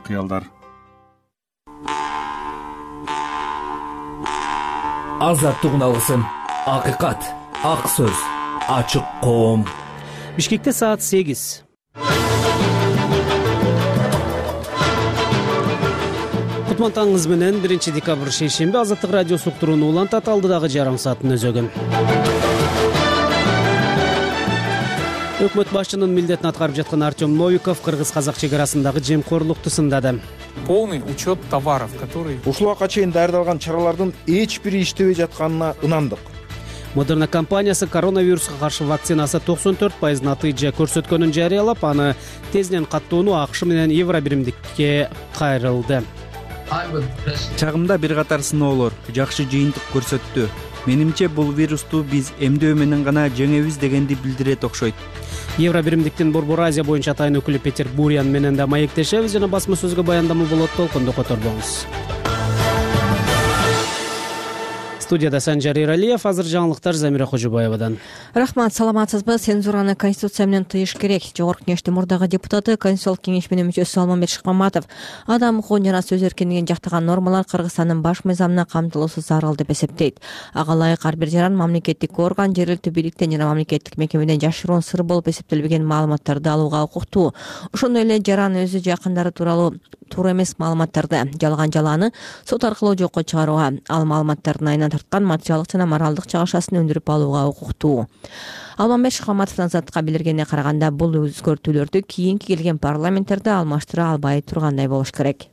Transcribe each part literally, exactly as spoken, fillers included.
кыялдар. Азаттык уналысын, акыйкат, ак сөз, ачык коом. Бишкекте саат сегиз. Кутман менен биринчи декабрь шейшемби Азаттык радиосу уктурууну улантат. Алдыдагы жарым сааттын өзөгүн. Өкмөт башчынын милдетин аткарып жаткан Артем Новиков кыргыз-казак чек арасындагы жемкорлукту сындады. Полный учет товаров, которые... Ушул убакка чейин даярдалган чаралардын эч бири иштебей жатканына ынандык. Модерна компаниясы коронавируска каршы вакцинасы токсон төрт пайыз натыйжа көрсөткөнүн жарыялап, аны тезинен каттоону АКШ менен Евро биримдикке кайрылды. Чагымда бир катар сыноолор жакшы жыйынтык көрсөттү. Менимче бул вирусту биз эмдөө менен гана жеңебиз дегенди билдирет окшойт. Евро биримдиктин Борбор Азия боюнча атайын өкүлү Петер Бурян менен да маектешебиз жана басма сөзгө баяндама болот. Толкунду которбоңуз. Студияда Санжар Иралиев, азыр жаңылыктар Замира Кожобаевадан. Рахмат, саламатсызбы? Цензураны Конституция менен тыйыш керек. Жогорку кеңештин мурдагы депутаты, Конституциялык кеңеш менен мүчөсү Алмамбет Шыкмаматов адам укугун жана сөз эркиндигин жактаган нормалар Кыргызстандын баш мыйзамына камтылуусу зарыл деп эсептейт. Ага ылайык ар бир жаран мамлекеттик орган, жергиликтүү бийликтен жана мамлекеттик мекемеден жашыруун сыр болуп эсептелбеген маалыматтарды алууга укуктуу. Ошондой эле жаран өзү жакындары тууралуу туура эмес маалыматтарды, жалган жалааны сот аркылуу жокко чыгарууга, ал маалыматтардын айынан тарткан материалдык жана моралдык чыгышасын өндүрүп алууга укуктуу. Алмамбет Шыкмаматовдун Азаттыкка билдиргенине караганда, бул өзгөртүүлөрдү кийинки келген парламенттерде алмаштыра албай тургандай болуш керек.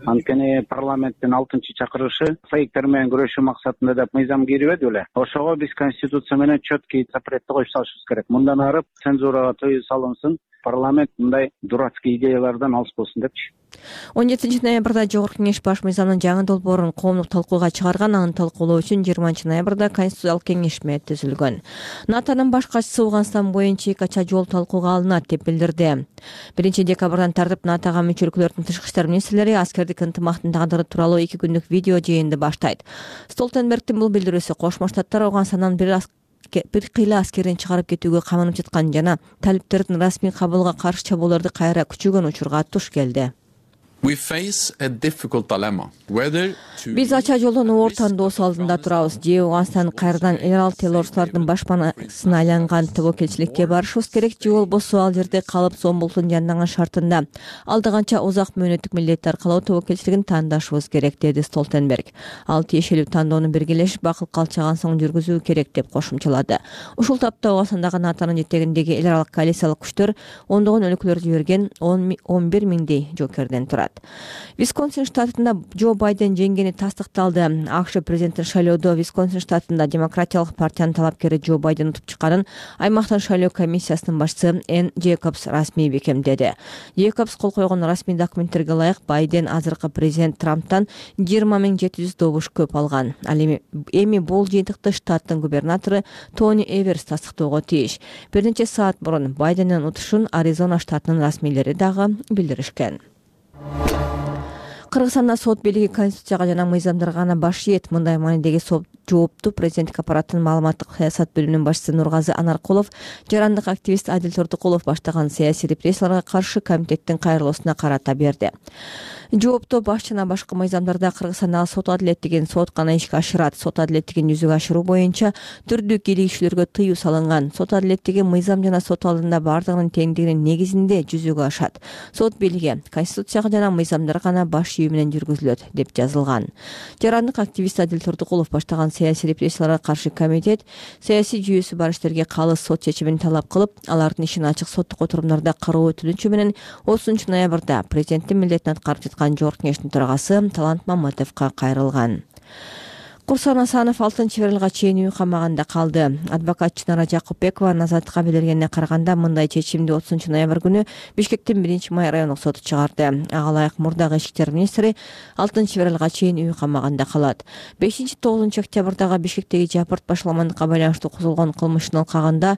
Анткени парламенттин алтынчы чакырышы фейктер менен күрөшүү максатында деп мыйзам кирбеди беле. Ошого биз Конституция менен четкий запретти коюп салышыбыз керек. Мындан ары цензурага тыюу салынсын, парламент мындай дурацкий идеялардан алыс болсун депчи. он жетинчи ноябрда Жогорку кеңеш баш мыйзамдын жаңы долбоорун коомдук талкууга чыгарган. Аны талкуулоо үчүн жыйырманчы ноябрда Конституциялык кеңешме түзүлгөн. НАТОнун баш катчысы Ооганстан боюнча эки ача жол талкууга алынат деп билдирди. биринчи декабрдан тартып НАТОга мүчө өлкөлөрдүн тышкы иштер министрлери аскердик ынтымактын тагдыры тууралуу эки күндүк видео жыйынды баштайт. Столтенбергдин бул билдирүүсү Кошмо Штаттар Ооганстандан бир бир кыйла аскерин чыгарып кетүүгө камынып жаткан жана талиптердин расмий кабылга каршы чабууларды кайра күчөгөн учурга туш келди. Биз ача жолдон оор тандоосу алдында турабыз. Же Ооганстан кайрадан эл ал террорчулардын башпанасына айланган тобокелчиликке барышыбыз керек, же болбосо ал жерде калып зомбулуктун жанданган шартында алда канча узак мөөнөттүк милдетти аркалоо тобокелчилигин тандашыбыз керек, деди Столтенберг. Ал тиешелүү тандоону биргелешип бакыл калчаган соң жүргүзүү керек деп кошумчалады. Ушул тапта Ооганстандагы НАТОнун жетегиндеги эл аралык коалициялык күчтөр ондогон өлкөлөрдү жиберген он бир миңдей жокерден турат. Висконсин штатында Джо Байден жеңгени тастыкталды. АКШ президенттин шайлоодо Висконсин штатында Демократиялык партиянын талапкери Джо Байден утуп чыкканын аймактын шайлоо комиссиясынын башчысы Энн Джейкобс расмий бекемдеди. Джейкобс кол койгон расмий документтерге ылайык Байден азыркы президент Трамптан жыйырма миң жети жүз добуш көп алган. Ал эми бул жыйынтыкты штаттын губернатору Тони Эверс тастыктоого тийиш. Бир нече саат мурун Байдендин утушун Аризона штатынын расмийлери дагы билдиришкен. Кыргызстанда сот бийлиги Конституцияга жана мыйзамдарга гана баш ийет. Мындай маанидеги сот жоопту президенттик аппараттын маалыматтык саясат бөлүмүнүн башчысы Нургазы Анаркулов, жарандык активист Адил Тордукулов баштаган саясий репрессияларга каршы комитеттин кайрылуусуна карата берди. Жоопту баш жана башка мыйзамдарда Кыргызстандагы сот адилеттигин сот гана ишке ашырат. Сот адилеттигин жүзөгө ашыруу боюнча түрдүү кийлигишүүлөргө тыюу салынган. Сот адилеттиги мыйзам жана сот алдында бардыгынын теңдигинин негизинде жүзөгө ашат. Сот бийлиги Конституцияга жана мыйзамдарга гана баш ийүү менен жүргүзүлөт деп жазылган. Жарандык активист Адил Тордукулов баштаган саясий репрессияларга каршы комитет саясий жүйөсү бар иштерге калыс сот чечимин талап кылып, алардын ишин ачык соттук отурумдарда кароо өтүнүчү менен отузунчу ноябрда президенттин милдетин аткарып жаткан Жогорку кеңештин төрагасы Талант Маматовго кайрылган. Курсан Асанов алтынчы февралга чейин үй камагында калды. Адвокат Чынара Жакупбекова Азаттыкка билдиргенине караганда, мындай чечимди отузунчу ноябрь күнү Бишкектин биринчи май райондук соту чыгарды. Ага ылайык мурдагы ички иштер министри алтынчы февралга чейин үй камагында калат. бешинчи тогузунчу октябрдагы Бишкектеги Жапырт башаламандыкка байланыштуу козголгон кылмыштын алкагында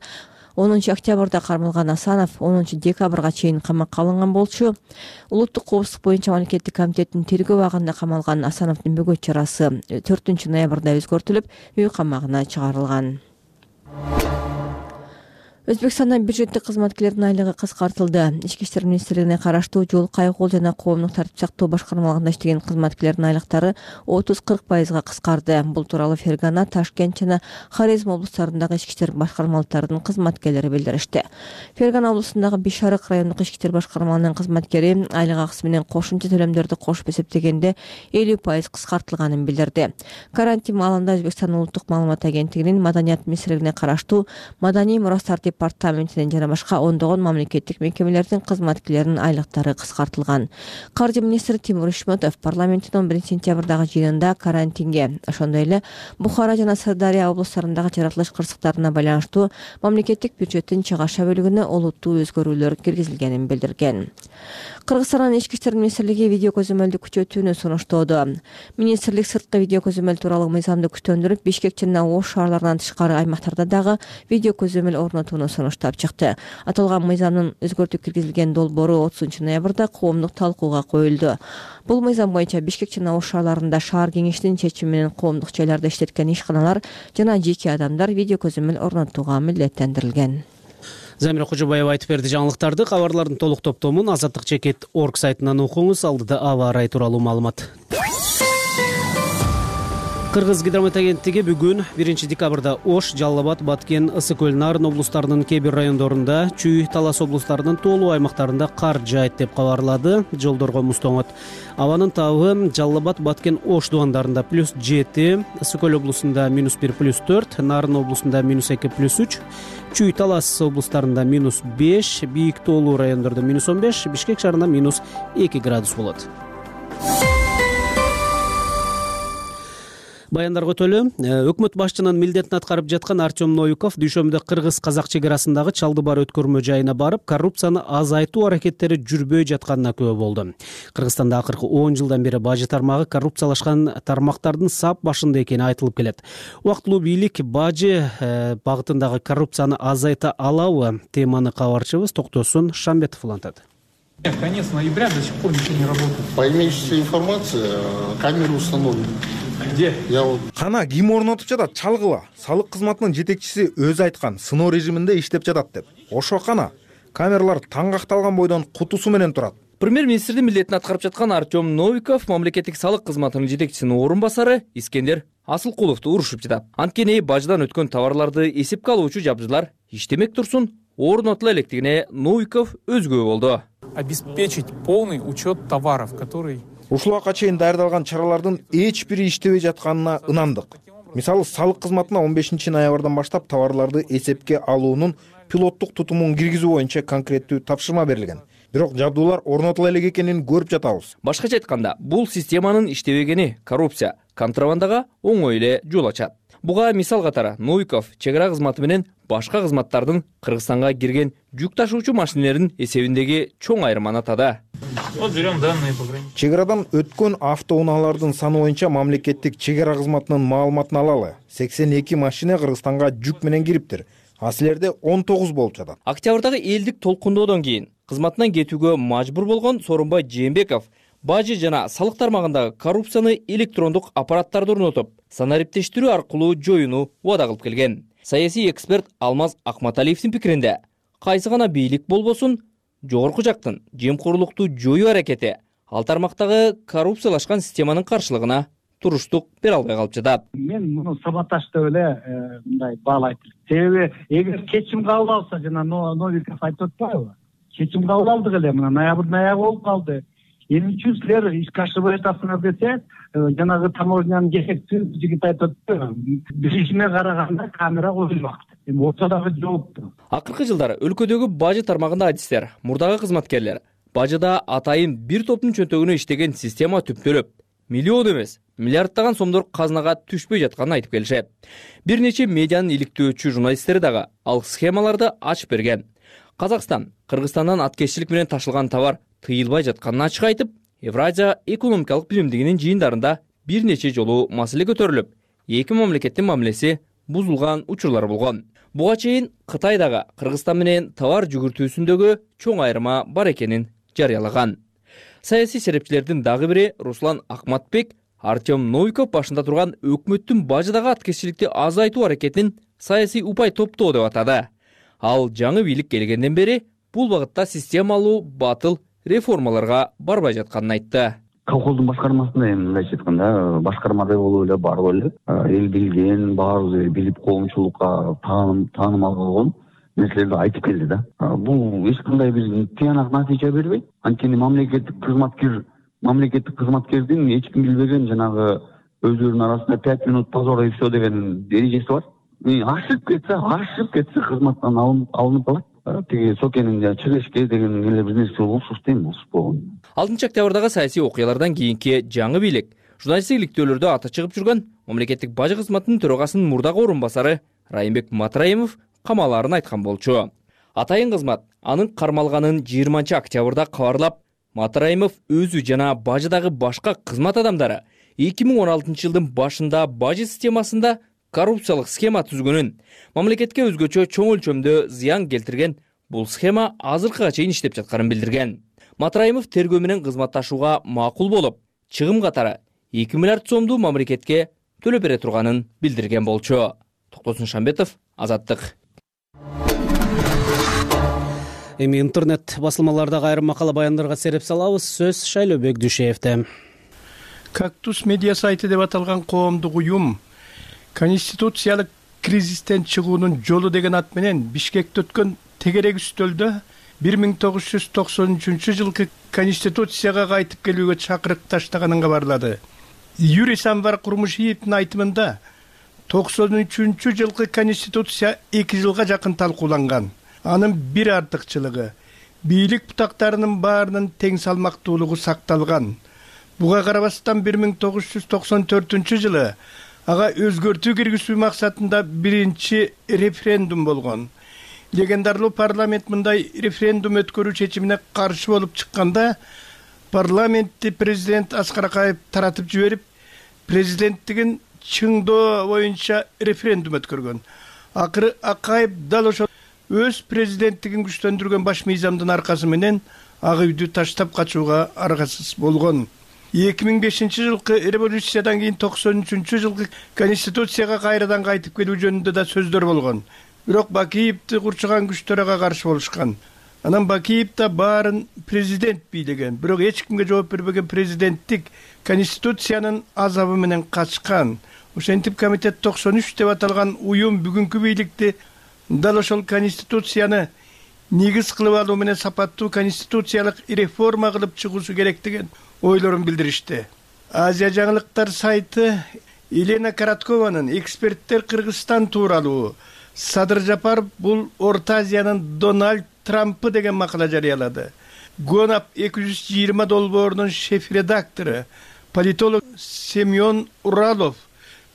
онунчу октябрда кармалган Асанов онунчу декабрга чейин камакка алынган болчу. Улуттук коопсуздук боюнча мамлекеттик комитеттин тергөө абагында камалган Асановдун бөгөт чарасы төртүнчү ноябрда өзгөртүлүп, үй камагына чыгарылган. Өзбекстандын бюджеттик кызматкерлердин айлыгы кыскартылды. Ички иштер министрлигине караштуу жол, кайгыл жана коомдук тартип сактоо башкармалыгында иштеген кызматкерлердин айлыктары отуз кырк пайызга кыскарды. Бул тууралуу Фергана, Ташкент жана Хорезм облустарындагы ички иштер башкармалыктарынын кызматкерлери билдиришти. Фергана облусундагы Бишарык райондук ички иштер башкармалыгынын кызматкери айлык акысы менен кошумча төлөмдөрдү кошуп эсептегенде элүү пайыз кыскартылганын билдирди. Карантин маалында Өзбекстандын улуттук маалымат агенттигинин Маданият министрлигине караштуу Маданий мурастар департаментинин жана башка ондогон мамлекеттик мекемелердин кызматкерлеринин айлыктары кыскартылган. Каржы министри Тимур Ишметов парламенттин он биринчи сентябрдагы жыйынында карантинге, ошондой эле Бухара жана Сырдария облустарындагы жаратылыш кырсыктарына байланыштуу мамлекеттик бюджеттин чыгаша бөлүгүнө олуттуу өзгөрүүлөр киргизилгенин билдирген. Кыргызстандын ички иштер министрлиги видео көзөмөлдү күчөтүүнү сунуштоодо. Министрлик сырткы видео көзөмөл тууралуу мыйзамды күчтөндүрүп, Бишкек жана Ош шаарларынан тышкары аймактарда дагы видео көзөмөл орнотууну сунуштап чыкты. Аталган мыйзамдын өзгөртүү киргизилген долбоору отузунчу ноябрда коомдук талкууга коюлду. Бул мыйзам боюнча Бишкек жана Ош шаарларында шаар кеңешинин чечими менен коомдук жайларда иштеткен ишканалар жана жеке адамдар видео көзөмөл орнотууга милдеттендирилген. Замира Кожобаева айтып берди жаңылыктарды. Кабарлардын толук топтомун азаттык чекит точка орг сайтынан окуңуз. Алдыда аба ырайы тууралуу маалымат. Кыргыз гидромет агенттиги бүгүн биринчи декабрда Ош, Жалал Абад, Баткен, Ысык көл, Нарын облустарынын кээ бир райондорунда, Чүй, Талас облустарынын тоолуу аймактарында кар жаайт деп кабарлады. Жолдорго муз тоңот. Абанын табы Жалал Абад, Баткен, Ош дубандарында плюс жети, Ысык көл облусунда минус бир, плюс төрт, Нарын облусунда минус эки, плюс үч, Чүй, Талас облустарында минус беш, бийик тоолуу райондордо минус он беш, Бишкек шаарында минус эки градус болот. Баяндарга өтөлү. Өкмөт башчынын милдетин аткарып жаткан Артем Новиков дүйшөмбүдө кыргыз-казак чек арасындагы Чалдыбар өткөрмө жайына барып, коррупцияны азайтуу аракеттери жүрбөй жатканына күбө болду. Кыргызстанда акыркы он жылдан бери бажы тармагы коррупциялашкан тармактардын сап башында экени айтылып келет. Убактылуу бийлик бажы багытындагы коррупцияны азайта алабы? Теманы кабарчыбыз Токтосун Шамбетов улантат. Конец ноября до сих пор ничего не работает. По имеющейся информации, камеры установлены. Где? Я вот... Кана ким орнотуп жатат? Чалгыла. Салык кызматынын жетекчиси өзү айткан, сыноо режиминде иштеп жатат деп. Ошо кана камералар таңгакталган бойдон кутусу менен турат. Премьер-министрдин милдетин аткарып жаткан Артем Новиков мамлекеттик салык кызматынын жетекчисинин орун басары Искендер Асылкуловду урушуп жатат. Анткени бажыдан өткөн товарларды эсепке алуучу жабдылар иштемек турсун орнотула электигине Новиков өзгө болду. Обеспечить полный учет товаров, которые... Ушулга чейин даярдалган чаралардын эч бири иштебей жатканына ынандык. Мисалы, салык кызматына он бешинчи ноябрдан баштап товарларды эсепке алуунун пилоттук тутумун киргизүү боюнча конкреттүү тапшырма берилген. Бирок жабдуулар орнотула элек экенин көрүп жатабыз. Башкача айтканда, бул системанын иштебегени коррупция, контрабандага оңой эле жол ачат. Буга мисал катары Новиков чек ара кызматы менен башка кызматтардын Кыргызстанга кирген жүк ташуучу машинелердин эсебиндеги чоң айырманы атады. Вот берем данные по границе. Чек арадан өткөн автоунаалардын саны боюнча мамлекеттик чек ара кызматынын маалыматын алалы. сексен эки машина Кыргызстанга жүк менен кириптир. А силерде он тогуз болуп жатат. Октябрдагы элдик толкундоодон кийин кызматынан кетүүгө мажбур болгон Сооронбай Жээнбеков бажы жана салык тармагындагы коррупцияны электрондук аппараттарды орнотуп, санариптештирүү аркылуу жоюуну убада кылып келген. Саясий эксперт Алмаз Акматалиевдин пикиринде, кайсы гана бийлик болбосун, жогорку жактын жемкорлукту жоюу аракети ал тармактагы коррупциялашкан системанын каршылыгына туруштук бере албай калып жатат. Мен муну саботаж деп эле мындай баалайт. Себеби эгер кечим кабыл алса, жана Новиков айтып атпайбы? Кечим кабыл алдык эле, мына ноябрдын аягы болуп калды. Эмне үчүн силер ишке ашырбай жатасыңар десе, жанагы таможнянын жетекчиси жигит айтып атты. Билишиме караганда камера коюлмак. Эми ортодогу жоопту. Акыркы жылдары өлкөдөгү бажы тармагында адистер, мурдагы кызматкерлер бажыда атайын бир топтун чөнтөгүнө иштеген система түптөлүп, миллион эмес, миллиарддаган сомдор казынага түшпөй жатканын айтып келишет. Бир нече медианын иликтөөчү журналисттери дагы ал схемаларды ачып берген. Казакстан Кыргызстандан аткезчилик менен ташылган товар тыйылбай жатканын ачык айтып, Евразия экономикалык биримдигинин жыйындарында бир нече жолу маселе көтөрүлүп, эки мамлекеттин мамилеси бузулган учурлар болгон. Буга чейин Кытай дагы Кыргызстан менен товар жүгүртүүсүндөгү чоң айырма бар экенин жарыялаган. Саясий серепчилердин дагы бири Руслан Акматбек Артем Новиков башында турган өкмөттүн бажыдагы аткезчиликти азайтуу аракетин саясий упай топтоо деп атады. Ал жаңы бийлик келгенден бери бул багытта системалуу батыл реформаларга барбай жатканын айтты. Колхоздун башкармасында эми мындайча айтканда башкармада болуп эле барып эле эл билген, баарыбыз билип коомчулукка таанымал болгон нерселерди айтып келди да. Бул эч кандай бир тыянак натыйжа бербейт. Анткени мамлекеттик кызматкер мамлекеттик кызматкердин эч ким билбеген жанагы өздөрүнүн арасында пять минут позора и все деген эрежеси бар. Ашып кетсе, ашып кетсе кызматтан алынып калат. Тиги сокенин чыгышке деген эле бир нерсе болсуз дейм, болсуз болгон. алтынчы октябрдагы саясий окуялардан кийинки жаңы бийлик журналисттик иликтөөлөрдө аты чыгып жүргөн мамлекеттик бажы кызматынын төрагасынын мурдагы орун басары Райымбек Матраимов камалаарын айткан болчу. Атайын кызмат анын кармалганын жыйырманчы октябрда кабарлап, Матраимов өзү жана бажыдагы башка кызмат адамдары эки миң он алтынчы жылдын башында бажы системасында коррупциялык схема түзгөнүн, мамлекетке өзгөчө чоң өлчөмдө зыян келтирген бул схема азыркыга чейин иштеп жатканын билдирген. Матраимов тергөө менен кызматташууга макул болуп, чыгым катары эки миллиард сомду мамлекетке төлөп бере турганын билдирген болчу. Токтосун Шамбетов, Азаттык. Эми интернет басылмалардагы айрым макала баяндарга сереп салабыз. Сөз Шайлообек Дүйшеевде. Кактус медиа сайты деп аталган коомдук уюм конституциялык кризистен чыгуунун жолу деген ат менен Бишкекте өткөн тегерек үстөлдө бир миң тогуз жүз токсон үчүнчү жылкы конституцияга кайтып келүүгө чакырык таштаганын кабарлады. Юрий Самвар Курмушиевдин айтымында токсон үчүнчү жылкы конституция эки жылга жакын талкууланган. Анын бир артыкчылыгы бийлик бутактарынын баарынын тең салмактуулугу сакталган. Буга карабастан бир миң тогуз жүз токсон төртүнчү жылы ага өзгөртүү киргизүү максатында биринчи референдум болгон. Легендарлуу парламент мындай референдум өткөрүү чечимине каршы болуп чыкканда, парламентти президент Аскар Акаев таратып жиберип, президенттигин чыңдоо боюнча референдум өткөргөн. Акыры Акаев дал ошол өз президенттигин күчтөндүргөн баш мыйзамдын аркасы менен ак үйдү таштап качууга аргасыз болгон. эки миң бешинчи жылкы революциядан кийин токсон үчүнчү жылкы конституцияга кайрадан кайтып келүү жөнүндө да сөздөр болгон. Бирок Бакиевди курчаган күчтөр ага каршы болушкан. Анан Бакиев да баарын президент бийлеген, бирок эч кимге жооп бербеген президенттик конституциянын азабы менен качкан. Ошентип комитет токсон үч деп аталган уюм бүгүнкү бийликти дал ошол конституцияны негиз кылып алуу менен сапаттуу конституциялык реформа кылып чыгуусу керек деген ойлорун билдиришти. Азия жаңылыктар сайты Елена Короткованын эксперттер Кыргызстан тууралуу Садыр Жапаров бул Орто Азиянын Дональд Трампы деген макала жарыялады. Гонап эки жүз жыйырма долбоорунун шеф-редактору политолог Семен Уралов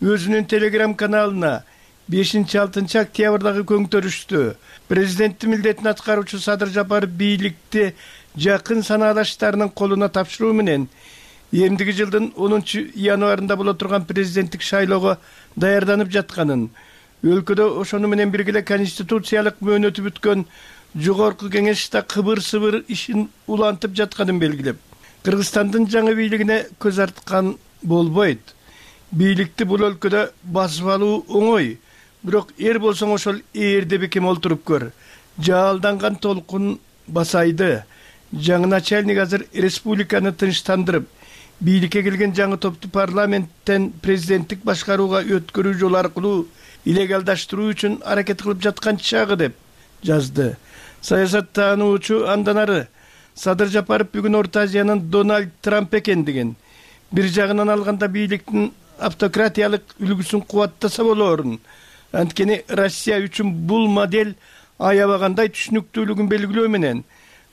өзүнүн телеграм каналына бешинчи алтынчы октябрдагы көңтөрүштү президенттин милдетин аткаруучу Садыр Жапаров бийликти жакын санаалаштарынын колуна тапшыруу менен эмдиги жылдын онунчу январында боло турган президенттик шайлоого даярданып жатканын, өлкөдө ошону менен бирге конституциялык мөөнөтү бүткөн жогорку кеңеш да кыбыр-сыбыр ишин улантып жатканын белгилеп, Кыргызстандын жаңы бийлигине көз арткан болбойт. Бийликти бул өлкөдө басып алуу оңой, бирок эр болсоң ошол ээрде бекем олтуруп көр. Жаалданган толкун басайды. Жаңы начальник азыр республиканы тынчтандырып, бийликке келген жаңы топту парламенттен президенттик башкарууга өткөрүү жолу аркылуу илегалдаштыруу үчүн аракет кылып жаткан чагы деп жазды. Саясаттануучу андан ары Садыр Жапаров бүгүн Орто Азиянын Дональд Трамп экендигин, бир жагынан алганда бийликтин автократиялык үлгүсүн кубаттаса болоорун, анткени Россия үчүн бул модель аябагандай түшүнүктүүлүгүн белгилөө менен,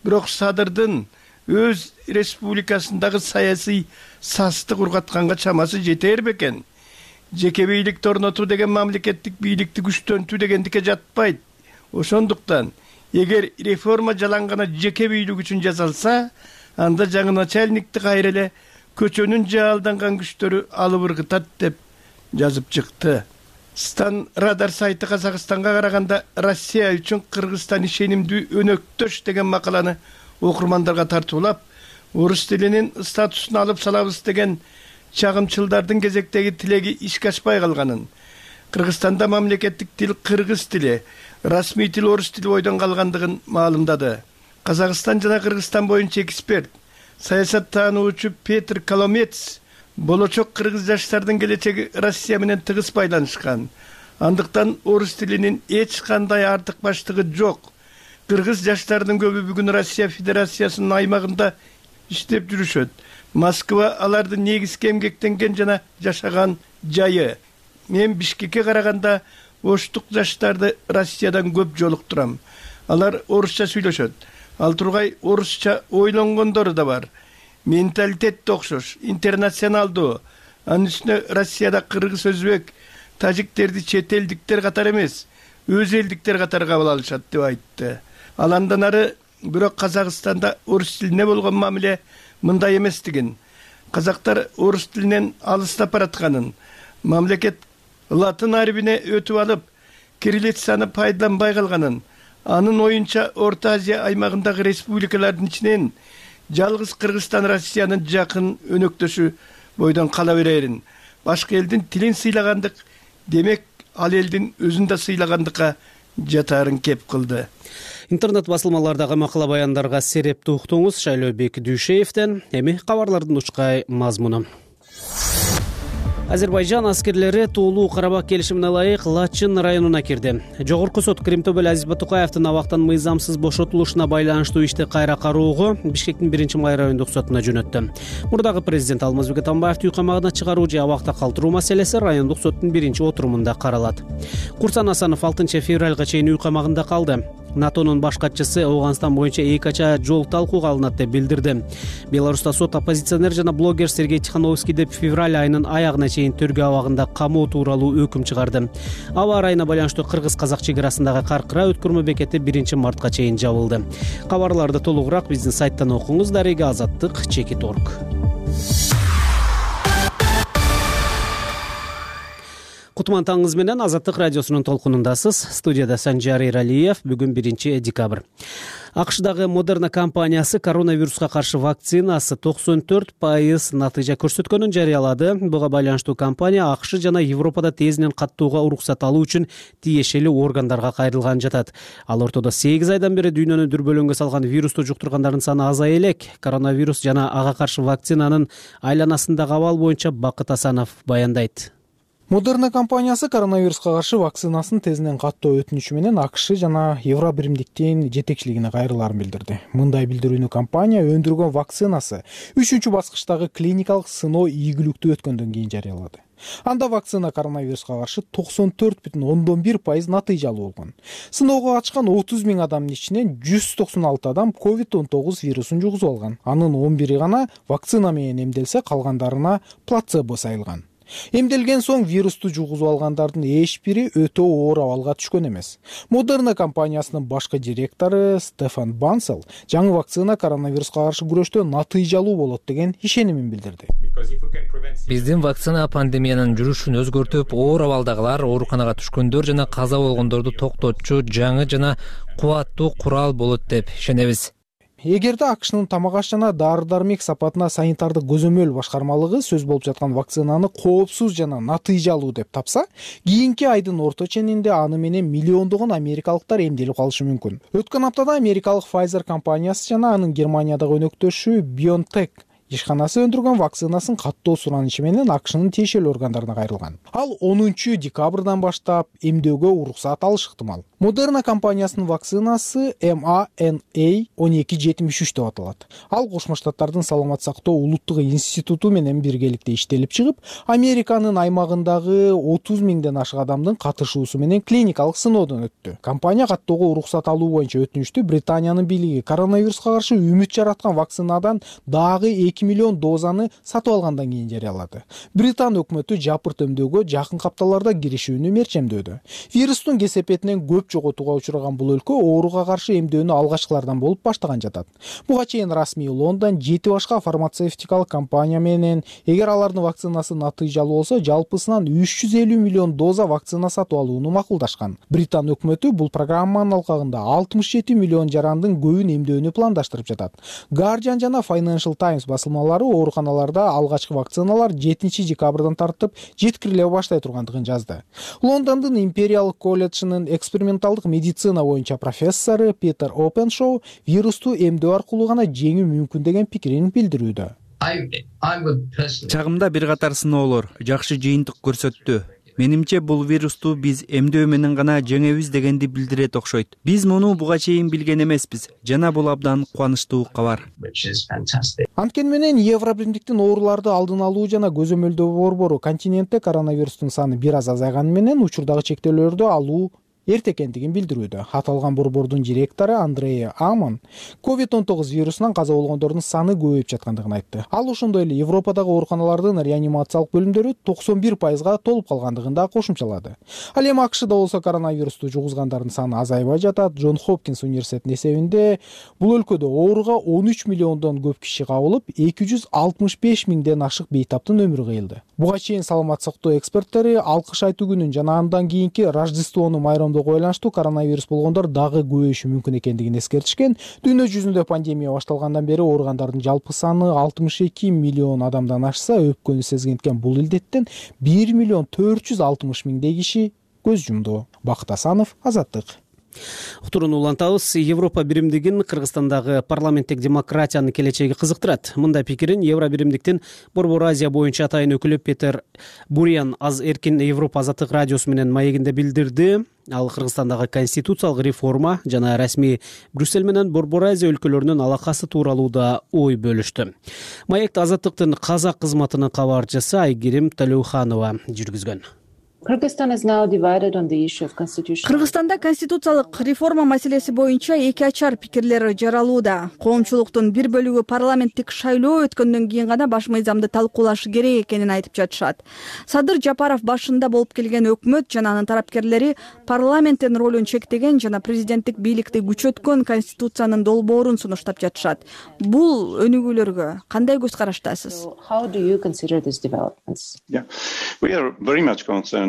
бирок Садырдын өз республикасындагы саясий састы кургатканга чамасы жетер бекен. Жеке бийликти орнотуу деген мамлекеттик бийликти күчтөнтүү дегендикке жатпайт. Ошондуктан эгер реформа жалангана жеке бийлик үчүн жасалса, анда жаңы начальникти кайра эле көчөнүн жаалданган күчтөрү алып ыргытат деп жазып чыкты. Стан Радар сайты Казакстанга караганда Россия үчүн Кыргызстан ишенимдүү өнөктөш деген макаланы окурмандарга тартуулап, орус тилинин статусун алып салабыз деген чагымчылдардын кезектеги тилеги ишке ашпай калганын, Кыргызстанда мамлекеттик тил кыргыз тили, расмий тил орус тили бойдон калгандыгын маалымдады. Казакстан жана Кыргызстан боюнча эксперт, саясаттануучу Петр Коломец болочок кыргыз жаштардын келечеги Россия менен тыгыз байланышкан. Андыктан орус тилинин эч кандай артыкбаштыгы жок. Кыргыз жаштардын көбү бүгүн Россия Федерациясынын аймагында иштеп жүрүшөт. Москва алардын негизги эмгектенген жана жашаган жайы. Мен Бишкекке караганда оштук жаштарды Россиядан көп жолуктурам. Алар орусча сүйлөшөт. Ал тургай орусча ойлонгондору да бар. Менталитет да окшош, интернационалдуу. Анын үстүнө Россияда кыргыз, өзбек, тажиктерди чет элдиктер катары эмес, өз элдиктер катары кабыл алышат деп айтты. Ал андан ары бирок Казакстанда орус тилине болгон мамиле мындай эместигин, казактар орус тилинен алыстап баратканын, мамлекет латын арбине өтүп алып, кириллицаны пайдаланбай калганын, анын оюнча Орто Азия аймагындагы республикалардын ичинен жалгыз Кыргызстан Россиянын жакын өнөктөшү бойдон кала берерин. Башка элдин тилин сыйлагандык, демек ал элдин өзүн да сыйлагандыкка жатаарын кеп кылды. Интернет басылмалардагы макала баяндарга серепти уктуңуз. Шайлообек Дүйшеевден. Эми кабарлардын учкай мазмуну. Азербайжан аскерлери Туулуу Карабак келишимине ылайык Лачын районуна кирди. Жогорку сот Кримтөбөл Азиз Батукаевдин абактан мыйзамсыз бошотулушуна байланыштуу ишти кайра кароого Бишкектин биринчи май райондук сотуна жөнөттү. Мурдагы президент Алмазбек Атамбаевди үй камагына чыгаруу же абакта калтыруу маселеси райондук соттун биринчи отурумунда каралат. Курсан Асанов алтынчы февралга чейин үй камагында калды. НАТОнун баш катчысы Аугандстан боюнча эки ача жол талкууга алынат деп билдирди. Беларуста сот оппозиционер жана блогер Сергей Тихановский деп февраль айынын аягына чейин төргө абагында камоо тууралуу өкүм чыгарды. Аба ырайына байланыштуу кыргыз-казак чек арасындагы Каркыра өткөрмө бекети биринчи мартка чейин жабылды. Кабарларды толугураак биздин сайттан окуңуз. Дарега Азаттык чекит точка орг. Кутман таңыңыз менен Азаттык радиосунун толкунундасыз. Студияда Санжар Эралиев. Бүгүн биринчи декабрь. АКШдагы Модерна компаниясы коронавируска каршы вакцинасы токсон төрт пайыз натыйжа көрсөткөнүн жарыялады. Буга байланыштуу компания АКШ жана Европада тезинен каттууга уруксат алуу үчүн тиешелүү органдарга кайрылган жатат. Ал ортодо сегиз айдан бери дүйнөнү дүрбөлөңгө салган вирусту жуктургандардын саны азая элек. Коронавирус жана ага каршы вакцинанын айланасындагы абал боюнча Бакыт Асанов баяндайт. Модерна компаниясы коронавируска каршы вакцинасын тезинен каттоо өтүнүчү менен АКШ жана Евробиримдиктин жетекчилигине кайрылаарын билдирди. Мындай билдирүүнү компания өндүргөн вакцинасы үчүнчү баскычтагы клиникалык сыноо ийгиликтүү өткөндөн кийин жарыялады. Анда вакцина коронавируска каршы токсон төрт бүтүн ондон бир пайыз натыйжалуу болгон. Сыноого катышкан отуз миң адамдын ичинен жүз токсон алты адам ковид он тогуз вирусун жугузуп алган. Анын он бири гана вакцина менен эмделсе, калгандарына плацебо сайылган. Эмделген соң вирусту жугузуп алгандардын эч бири өтө оор абалга түшкөн эмес. Модерна компаниясынын башкы директору Стефан Бансел жаңы вакцина коронавируска каршы күрөштө натыйжалуу болот деген ишенимин билдирди. Биздин вакцина пандемиянын жүрүшүн өзгөртүп, оор абалдагылар, ооруканага түшкөндөр жана каза болгондорду токтотчу жаңы жана кубаттуу курал болот деп ишенебиз. Эгерде АКШнын тамак аш жана дары-дармек сапатына санитардык көзөмөл башкармалыгы сөз болуп жаткан вакцинаны коопсуз жана натыйжалуу деп тапса, кийинки айдын орто ченинде аны менен миллиондогон америкалыктар эмделип калышы мүмкүн. Өткөн аптада америкалык Pfizer компаниясы жана анын Германиядагы өнөктөшү BioNTech ишканасы өндүргөн вакцинасын каттоо суранышы менен АКШнын тиешелүү органдарына кайрылган. Ал онунчу декабрдан баштап эмдөөгө уруксат алышы ыктымал. Модерна компаниясынын вакцинасы эм а эн а он эки жетимиш үч деп аталат. Ал Кошмо Штаттардын саламат сактоо улуттук институту менен биргеликте иштелип чыгып, Американын аймагындагы отуз миңден ашык адамдын катышуусу менен клиникалык сыноодон өттү. Компания каттоого уруксат алуу боюнча өтүнүштү Британиянын бийлиги коронавируска каршы үмүт жараткан вакцинадан дагы эки миллион дозаны сатып алгандан кийин жарыялады. Британ өкмөтү жапырт эмдөөгө жакын капталарда киришүүнү мерчемдөдү. Вирустун кесепетинен көп жоготууга учураган бул өлкө ооруга каршы эмдөөнү алгачкылардан болуп баштаган жатат. Буга чейин расмий Лондон жети башка фармацевтикалык компания менен эгер алардын вакцинасы натыйжалуу болсо, жалпысынан үч жүз элүү миллион доза вакцина сатып алууну макулдашкан. Британ өкмөтү бул программанын алкагында алтымыш жети миллион жарандын көбүн эмдөөнү пландаштырып жатат. Guardian жана Financial Times басылмалары ооруканаларда алгачкы вакциналар жетинчи декабрдан тартып жеткириле баштай тургандыгын жазды. Лондондун Imperial колледжинин эксперимент эксперименталдык медицина боюнча профессору Питер Опеншоу вирусту эмдөө аркылуу гана жеңүү мүмкүн деген пикирин билдирүүдө. Чагымда бир катар сыноолор жакшы жыйынтык көрсөттү. Менимче бул вирусту биз эмдөө менен гана жеңебиз дегенди билдирет окшойт. Биз муну буга чейин билген эмеспиз жана бул абдан кубанычтуу кабар. Анткени менен Евробиримдиктин ооруларды алдын алуу жана көзөмөлдөө борбору континентте коронавирустун саны бир аз азайганы менен учурдагы чектөөлөрдү алуу эрте экендигин билдирүүдө. Аталган борбордун директору Андреа Амон ковид он тогуз вирусунан каза болгондордун саны көбөйүп жаткандыгын айтты. Ал ошондой эле Европадагы ооруканалардын реанимациялык бөлүмдөрү токсон бир пайызга толуп калгандыгын да кошумчалады. Ал эми АКШда болсо коронавирусту жугузгандардын саны азайбай жатат. Джон Хопкинс университетинин эсебинде бул өлкөдө ооруга он үч миллиондон көп киши кабылып, эки жүз алтымыш беш миңден ашык бейтаптын өмүрү кыйылды. Буга чейин саламат сактоо эксперттери алкыш айтуу күнүн жана андан кийинки Рождествону майрамдоого байланыштуу коронавирус болгондор дагы көбөйүшү мүмкүн экендигин эскертишкен. Дүйнө жүзүндө пандемия башталгандан бери ооругандардын жалпы саны алтымыш эки миллион адамдан ашса, өпкөнү сезгенткен бул илдеттен бир миллион төрт жүз алтымыш миңдей киши көз жумду. Бакыт Асанов, Азаттык. Уктурууну улантабыз. Европа биримдигин Кыргызстандагы парламенттик демократиянын келечеги кызыктырат. Мындай пикирин Евробиримдиктин Борбор Азия боюнча атайын өкүлү Петер Буриан аз эркин Европа азаттык радиосу менен маегинде билдирди. Ал Кыргызстандагы конституциялык реформа жана расмий Брюссель менен Борбор Азия өлкөлөрүнүн алакасы тууралуу да ой бөлүштү. Маекти азаттыктын казак кызматынын кабарчысы Айгерим Талеуханова жүргүзгөн. Кыргызстанда конституциялык реформа маселеси боюнча эки ачар пикирлер жаралууда. Коомчулуктун бир бөлүгү парламенттик шайлоо өткөндөн кийин гана баш мыйзамды талкуулашы керек экенин айтып жатышат. Садыр Жапаров башында болуп келген өкмөт жана анын тарапкерлери парламенттин ролун чектеген жана президенттик бийликти күчөткөн конституциянын долбоорун сунуштап жатышат. Бул өнүгүүлөргө кандай көз караштасыз?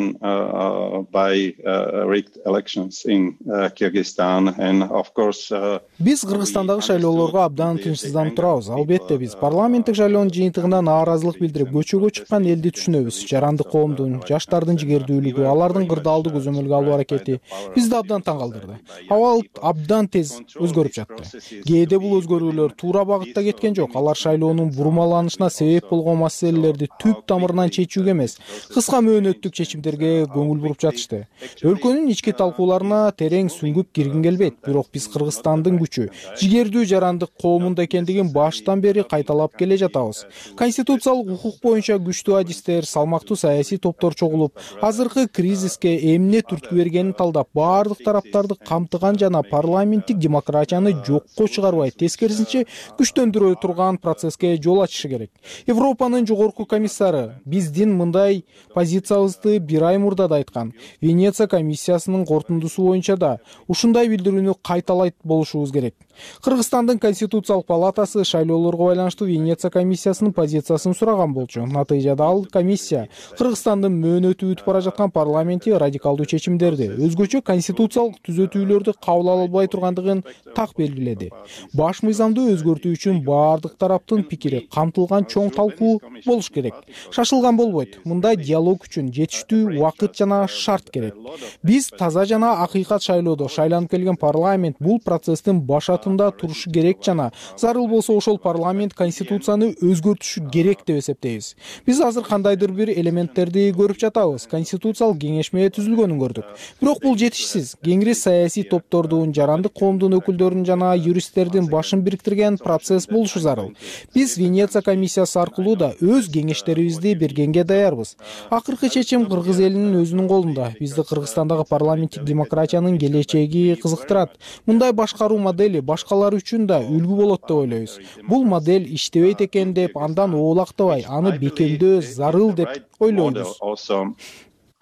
Uh, uh, by uh, rigged elections in uh, Kyrgyzstan and of course биз Кыргызстандагы шайлоолорго абдан тынчсызданып турабыз. Албетте биз парламенттик шайлоонун жыйынтыгына нааразылык билдирип көчөгө чыккан элди түшүнөбүз. Жарандык коомдун, жаштардын жигердүүлүгү, алардын кырдаалды көзөмөлгө алуу аракети бизди абдан таң калтырды. Абал абдан тез өзгөрүп жатты. Кээде бул өзгөрүүлөр туура багытта кеткен жок. Алар шайлоонун бурмаланышына себеп болгон маселелерди түп тамырынан чечүүгө эмес, кыска мөөнөттүк чечимдерге көңүл буруп жатышты. Өлкөнүн ички талкууларына терең сүңгүп киргим келбейт. Бирок биз Кыргызстандын күчү, жигердүү жарандык коомунда экендигин баштан бери кайталап келе жатабыз. Конституциялык укук боюнча күчтүү адистер, салмактуу саясий топтор чогулуп, азыркы кризиске эмне түрткү бергенин талдап, баардык тараптарды камтыган жана парламенттик демократияны жокко чыгарбай, тескерисинче күчтөндүрө турган процесске жол ачышы керек. Европанын жогорку комиссары биздин мындай позициябызды бир ай мурда да айткан. Венеция комиссиясынын корутундусу боюнча да ушундай билдирүүнү кайталайт болушубуз керек. Кыргызстандын конституциялык палатасы шайлоолорго байланыштуу Венеция комиссиясынын позициясын сураган болчу. Натыйжада ал комиссия Кыргызстандын мөөнөтү өтүп бара жаткан парламенти радикалдуу чечимдерди, өзгөчө конституциялык түзөтүүлөрдү кабыл ала албай тургандыгын так белгиледи. Баш мыйзамды өзгөртүү үчүн баардык тараптын пикири камтылган чоң талкуу болуш керек. Шашылган болбойт. Мындай диалог үчүн жетиштүү убакыт жана шарт керек. Биз таза жана акыйкат шайлоодо шайланып келген парламент бул процесстин башатында турушу керек жана зарыл болсо ошол парламент конституцияны өзгөртүшү керек деп эсептейбиз. Биз азыр кандайдыр бир элементтерди көрүп жатабыз. Конституциялык кеңешме түзүлгөнүн көрдүк. Бирок бул жетишсиз. Кеңири саясий топтордун, жарандык коомдун өкүлдөрүнүн жана юристтердин башын бириктирген процесс болушу зарыл. Биз Венеция комиссиясы аркылуу да өз кеңештерибизди бергенге даярбыз. Акыркы чечим кыргыз элинин өзүнүн колунда. Бизди Кыргызстандагы парламенттик демократиянын келечеги кызыктырат. Мындай башкаруу модели башкалар үчүн да үлгү болот деп ойлойбуз. Бул модель иштебейт экен деп андан оолактабай, аны бекемдөө зарыл деп ойлойбуз.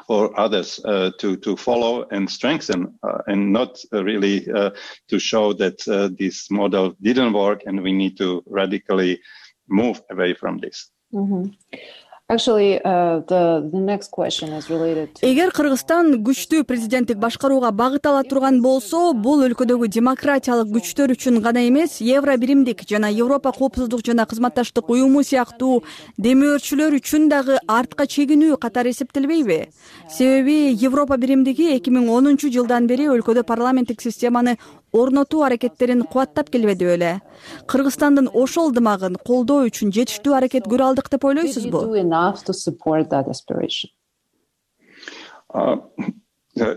For others uh, to to follow and strengthen uh, and not uh, really uh, to show that uh, this model didn't work and we need to radically move away from this. Mm-hmm. эгер Кыргызстан күчтүү президенттик башкарууга багыт ала турган болсо, бул өлкөдөгү демократиялык күчтөр үчүн гана эмес, Евро биримдик жана Европа коопсуздук жана кызматташтык уюму сыяктуу демөөрчүлөр үчүн дагы артка чегинүү катары эсептелбейби? Себеби Европа биримдиги эки миң онунчу жылдан бери өлкөдө парламенттик системаны орнотуу аракеттерин кубаттап келбеди беле? Кыргызстандын ошол ынтымагын колдоо үчүн жетиштүү аракет көрө алдык деп ойлойсузбу? Uh,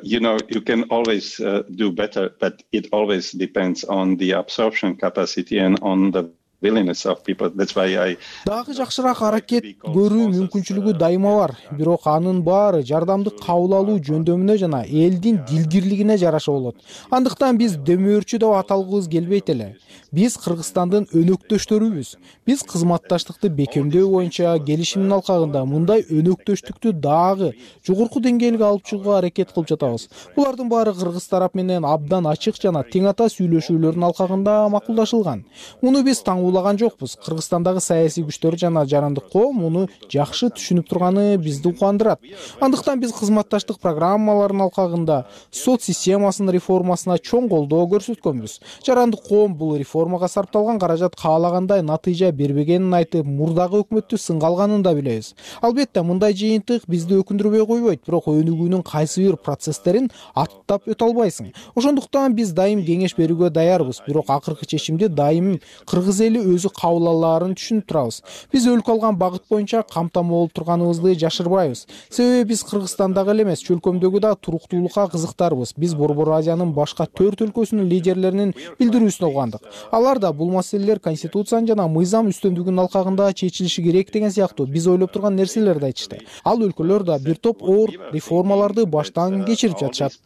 you know, you can always uh, do better, but it always depends on the absorption capacity and on the willingness of people. That's why I дагы жакшыраак аракет көрүү мүмкүнчүлүгү дайыма бар. Бирок анын баары жардамды кабыл алуу жөндөмүнө жана элдин дилгирлигине жараша болот. Андыктан биз демөөрчү деп аталгыбыз келбейт эле. Биз Кыргызстандын өнөктөштөрүбүз. Биз кызматташтыкты бекемдөө боюнча келишимдин алкагында мындай өнөктөштүктү дагы жогорку деңгээлге алып чыгууга аракет кылып жатабыз. Булардын баары кыргыз тарап менен абдан ачык жана тең ата сүйлөшүүлөрдүн алкагында макулдашылган. Муну биз таңуулаган жокпуз. Кыргызстандагы саясий күчтөр жана жарандык коом муну жакшы түшүнүп турганы бизди кубандырат. Андыктан биз кызматташтык программаларынын алкагында сот системасынын реформасына чоң колдоо көрсөткөнбүз. Жарандык коом бул реформага сарпталган каражат каалагандай натыйжа бербегенин айтып, мурдагы өкмөттү сынга алганын да билебиз. Албетте мындай жыйынтык бизди өкүндүрбөй койбойт, бирок өнүгүүнүн кайсы бир процесстерин аттап өтө албайсың. Ошондуктан биз дайым кеңеш берүүгө даярбыз, бирок акыркы чечимди дайым кыргыз эли өзү кабыл алаарын түшүнүп турабыз. Биз өлкө алган багыт боюнча камтама болуп турганыбызды жашырбайбыз. Себеби биз Кыргызстандагы эле эмес, чөлкөмдөгү да туруктуулукка кызыктарбыз. Биз Борбор Азиянын башка төрт өлкөсүнүн лидерлеринин билдирүүсүн угандык. Алар да бул маселелер конституциянын жана мыйзам үстөмдүгүнүн алкагында чечилиши керек деген сыяктуу биз ойлоп турган нерселерди айтышты. Ал өлкөлөр да бир топ оор реформаларды баштан кечирип жатышат.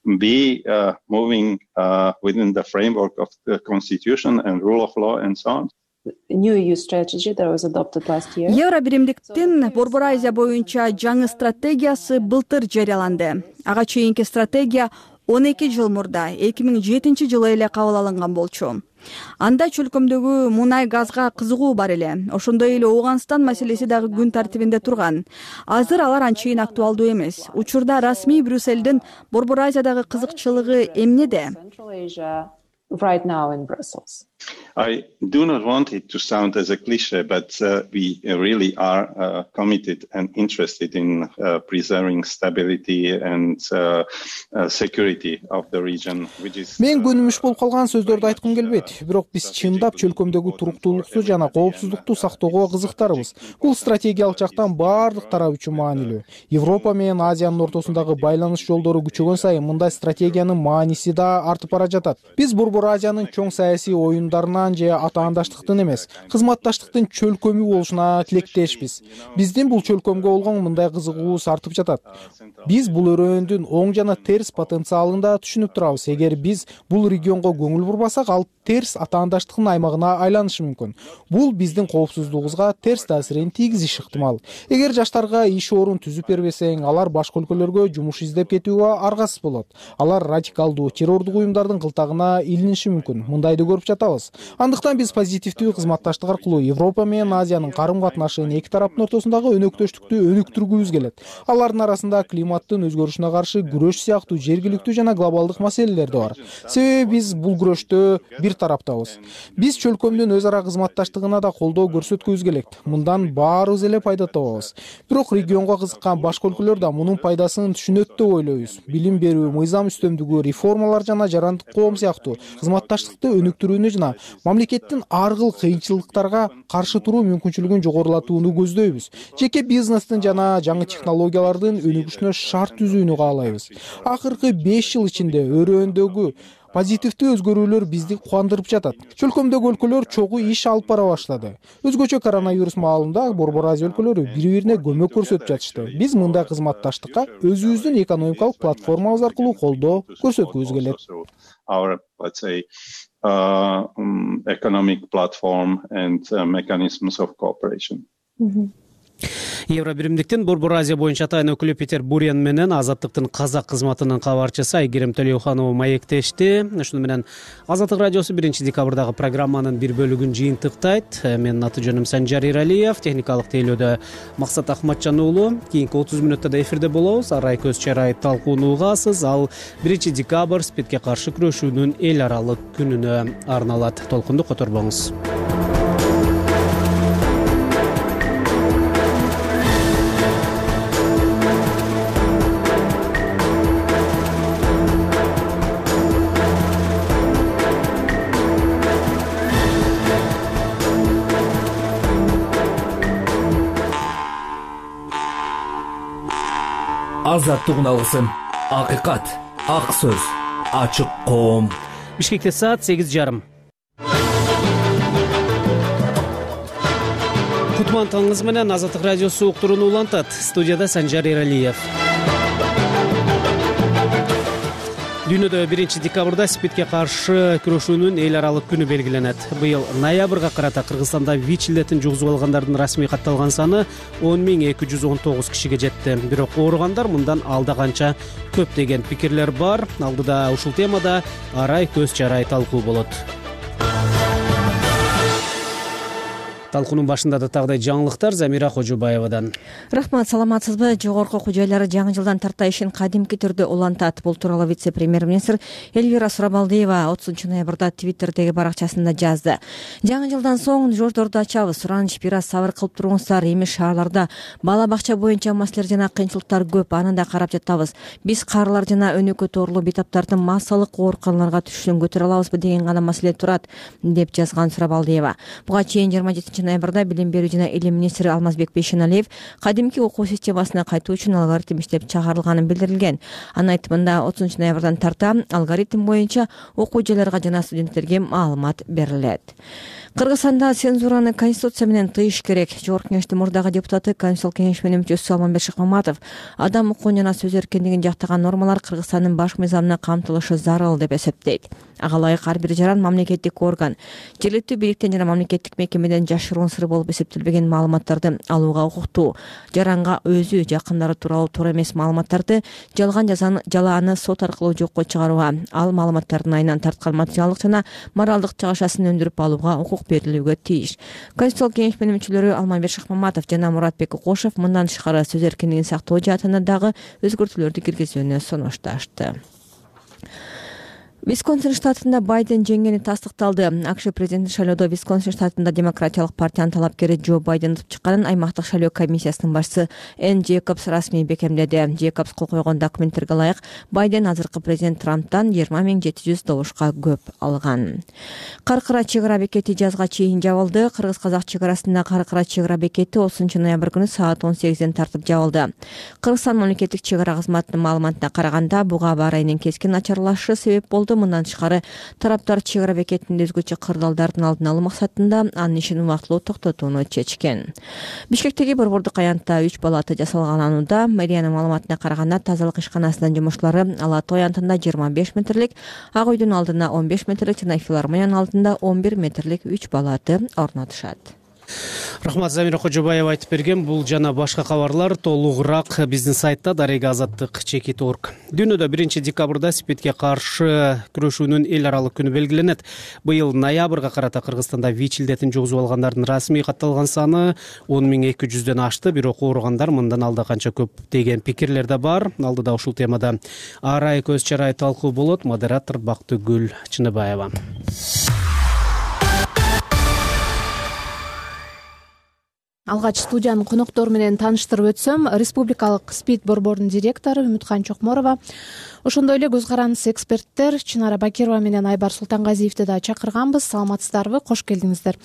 Be uh, moving uh, within the framework of the constitution and rule of law and so on. New E U strategy that was adopted last year. Евро биримдиктин Борбор Азия боюнча жаңы стратегиясы былтыр жарыяланды. Ага чейинки стратегия он эки жыл мурда эки миң жетинчи жылы эле кабыл алынган болчу. Анда чөлкөмдөгү мунай газга кызыгуу бар эле. Ошондой эле Ооганстан маселеси дагы күн тартибинде турган. Азыр алар анчейин актуалдуу эмес. Учурда расмий Брюссельдин Борбор Азиядагы кызыкчылыгы эмнеде? Right now in Brussels. I do not want it to sound as a cliche, but uh, we really are uh, committed and interested in uh, preserving stability and uh, uh, security of the region, which is. Мен көнүмүш болуп калган сөздөрдү айткым келбейт. Бирок биз чындап чөлкөмдөгү туруктуулукту жана коопсуздукту сактоого кызыктарбыз. Бул стратегиялык жактан баардык тарап үчүн маанилүү. Европа менен Азиянын ортосундагы байланыш жолдору күчөгөн сайын мындай стратегиянын мааниси да артып бара жатат. Биз Борбор Азиянын чоң саясий оюндарынан же атаандаштыктын эмес, кызматташтыктын чөлкөмү болушуна тилектешпиз. Биздин бул чөлкөмгө болгон мындай кызыгуубуз артып жатат. Биз бул өрөөндүн оң жана терс потенциалын да түшүнүп турабыз. Эгер биз бул регионго көңүл бурбасак, ал терс атаандаштыктын аймагына айланышы мүмкүн. Бул биздин коопсуздугубузга терс таасирин тийгизиши ыктымал. Эгер жаштарга иш орун түзүп бербесең, алар башка өлкөлөргө жумуш издеп кетүүгө аргасыз болот. Алар радикалдуу террордук уюмдардын кылтагына илиниши мүмкүн. Мындайды көрүп жатабыз. Андыктан биз позитивдүү кызматташтык аркылуу Европа менен Азиянын карым-катнашын эки тараптын ортосундагы өнөктөштүктү өнүктүргүбүз келет. Алардын арасында климаттын өзгөрүшүнө каршы күрөш сыяктуу жергиликтүү жана глобалдык маселелер да бар. Себеби биз бул күрөштө бир тараптабыз. Биз чөлкөмдүн өз ара кызматташтыгына да колдоо көрсөткүбүз келет. Мындан баарыбыз эле пайда табабыз. Бирок регионго кызыккан башка өлкөлөр да мунун пайдасын түшүнөт деп ойлойбуз. Билим берүү, мыйзам үстөмдүгү, реформалар жана жарандык коом сыяктуу кызматташтыкты өнүктүрүүнү жана мамлекеттин ар кыл кыйынчылыктарга каршы туруу мүмкүнчүлүгүн жогорулатууну көздөйбүз. Жеке бизнестин жана жаңы технологиялардын өнүгүшүнө шарт түзүүнү каалайбыз. Акыркы беш жыл ичинде өрөөндөгү позитивдүү өзгөрүүлөр бизди кубандырып жатат. Чөлкөмдөгү өлкөлөр чогуу иш алып бара баштады. Өзгөчө коронавирус маалында Борбор Азия өлкөлөрү бири-бирине көмөк көрсөтүп жатышты. Биз мындай кызматташтыкка өзүбүздүн экономикалык платформабыз аркылуу колдоо көрсөткүбүз келет. Our, let's say, uh, um, economic platform and uh, mechanisms of cooperation. Mm-hmm. Евро биримдиктин Борбор Азия боюнча атайын өкүлү Питер Бурен менен Азаттыктын казак кызматынын кабарчысы Айгерим Төлөуханова маектешти. Ушуну менен Азаттык радиосу биринчи декабрдагы программанын бир бөлүгүн жыйынтыктайт. Менин аты жөнүм Санжар Иралиев, техникалык тейлөөдө Максат Ахматжан уулу. Кийинки отуз мүнөттө да эфирде болобуз. Арай көз чарай талкууну угасыз. Ал биринчи декабрь спидке каршы күрөшүүнүн эл аралык күнүнө арналат. Толкунду которбоңуз. Азаттык уналгысын, акыйкат, ак сөз, ачык коом. Бишкекте саат сегиз жарым. Кутман таңыңыз менен Азаттык радиосу уктурууну улантат. Студияда Санжар Иралиев. Дүйнөдө биринчи декабрда спидке каршы күрөшүүнүн эл аралык күнү белгиленет. Быйыл ноябрга карата Кыргызстанда ВИЧ илдетин жугузуп алгандардын расмий катталган саны он миң эки жүз он тогуз кишиге жетти. Бирок ооругандар мындан алда канча көп деген пикирлер бар. Алдыда ушул темада арай көз чарай талкуу болот. Талкуунун башында да тагыдай жаңылыктар Замира Кожобаевадан. Рахмат, саламатсызбы? Жогорку окуу жайлары жаңы жылдан тарта ишин кадимки түрдө улантат. Бул тууралуу вице-премьер-министр Элвира Сурабалдиева отузунчу ноябрда Твиттердеги баракчасында жазды. Жаңы жылдан соң жолдорду ачабыз, сураныч бир аз сабыр кылып туруңуздар. Эми шаарларда бала бакча боюнча маселелер жана кыйынчылыктар көп, аны да карап жатабыз. Биз карылар жана өнөкөй тоорлуу бейтаптардын массалык ооруканаларга түшүшүн көтөрө алабызбы деген гана маселе турат, деп жазган Сурабалдиева. Буга чейин жыйырма жетинчи ноябрда билим берүү жана илим министри Алмазбек Бейшеналиев кадимки окуу системасына кайтуу үчүн алгоритм иштеп чыгарылганын билдирилген. Анын айтымында отузунчу ноябрдан тарта алгоритм боюнча окуу жайларга жана студенттерге маалымат берилет. Кыргызстанда цензураны конституция менен тыйыш керек. Жогорку кеңештин мурдагы депутаты, Конституциялык кеңеш менен мүчөсү Алмазбек Шыкмаматов адам укугун жана сөз эркиндигин жактаган нормалар Кыргызстандын башкы мыйзамына камтылышы зарыл деп эсептейт. Ага ылайык ар бир жаран мамлекеттик орган жергиликтүү бийликтен жана мамлекеттик мекемеден жашыруун сыр болуп эсептелбеген маалыматтарды алууга укуктуу. Жаранга өзү, жакындары тууралуу туура эмес маалыматтарды жалган жалааны сот аркылуу жокко чыгарууга, ал маалыматтардын айынан тарткан материалдык жана моралдык чыгашасын өндүрүп алууга укук берилүүгө тийиш. Конституциялык кеңеш менен мүчөлөрү Алмазбек Шыкмаматов жана Муратбек Кокошев мындан тышкары сөз эркиндигин сактоо жаатында дагы өзгөртүүлөрдү киргизүүнү сунушташты. Висконсин штатында Байден жеңгени тастыкталды. АКШ президенттик шайлоодо Висконсин штатында Демократиялык партиянын талапкери Джо Байден утуп чыкканын аймактык шайлоо комиссиясынын башчысы Энн Джейкобс расмий бекемдеди. Джейкобс кол койгон документтерге ылайык Байден азыркы президент Трамптан жыйырма миң жети жүз добушка көп алган. Каркыра чек ара бекети жазга чейин жабылды. Кыргыз-казак чек арасында Каркыра чек ара бекети отузунчу ноябрь күнү саат он сегизден тартып жабылды. Кыргызстан мамлекеттик чек ара кызматынын маалыматына караганда буга аба ырайынын кескин начарлашышы себеп болду. Мындан тышкары тараптар чек ара бекетинде өзгөчө кырдаалдардын алдын алуу максатында анын ишин убактылуу токтотууну чечкен. Бишкектеги борбордук аянтта үч палата жасалганында мэриянын маалыматына караганда тазалык ишканасынын жумушчулары Ала Тоо аянтында жыйырма беш метрлик, Ак үйдүн алдына он беш метрлик жана филармониянын алдында он бир метрлик үч палаты орнотушат. Рахмат, Замира Кожобаева айтып берген. Бул жана башка кабарлар толугураак биздин сайтта дарега азаттык чекит точка орг. Дүйнөдө биринчи декабрда спидке каршы күрөшүүнүн эл аралык күнү белгиленет. Быйыл ноябрга карата Кыргызстанда ВИЧ илдетин жугузуп алгандардын расмий катталган саны он миң эки жүздөн ашты. Бирок ооругандар мындан алда канча көп деген пикирлер да бар. Алдыда ушул темада арай көз чарай талкуу болот. Модератор Бактыгүл Чыныбаева. Алгач студиянын коноктору менен тааныштырып өтсөм, Республикалык СПИД борборунун директору Үмүткан Чокморова, ошондой эле көз карандыс эксперттер Чынара Бакирова менен Айбар Султангазиевди да чакырганбыз. Саламатсыздарбы? Кош келдиңиздер.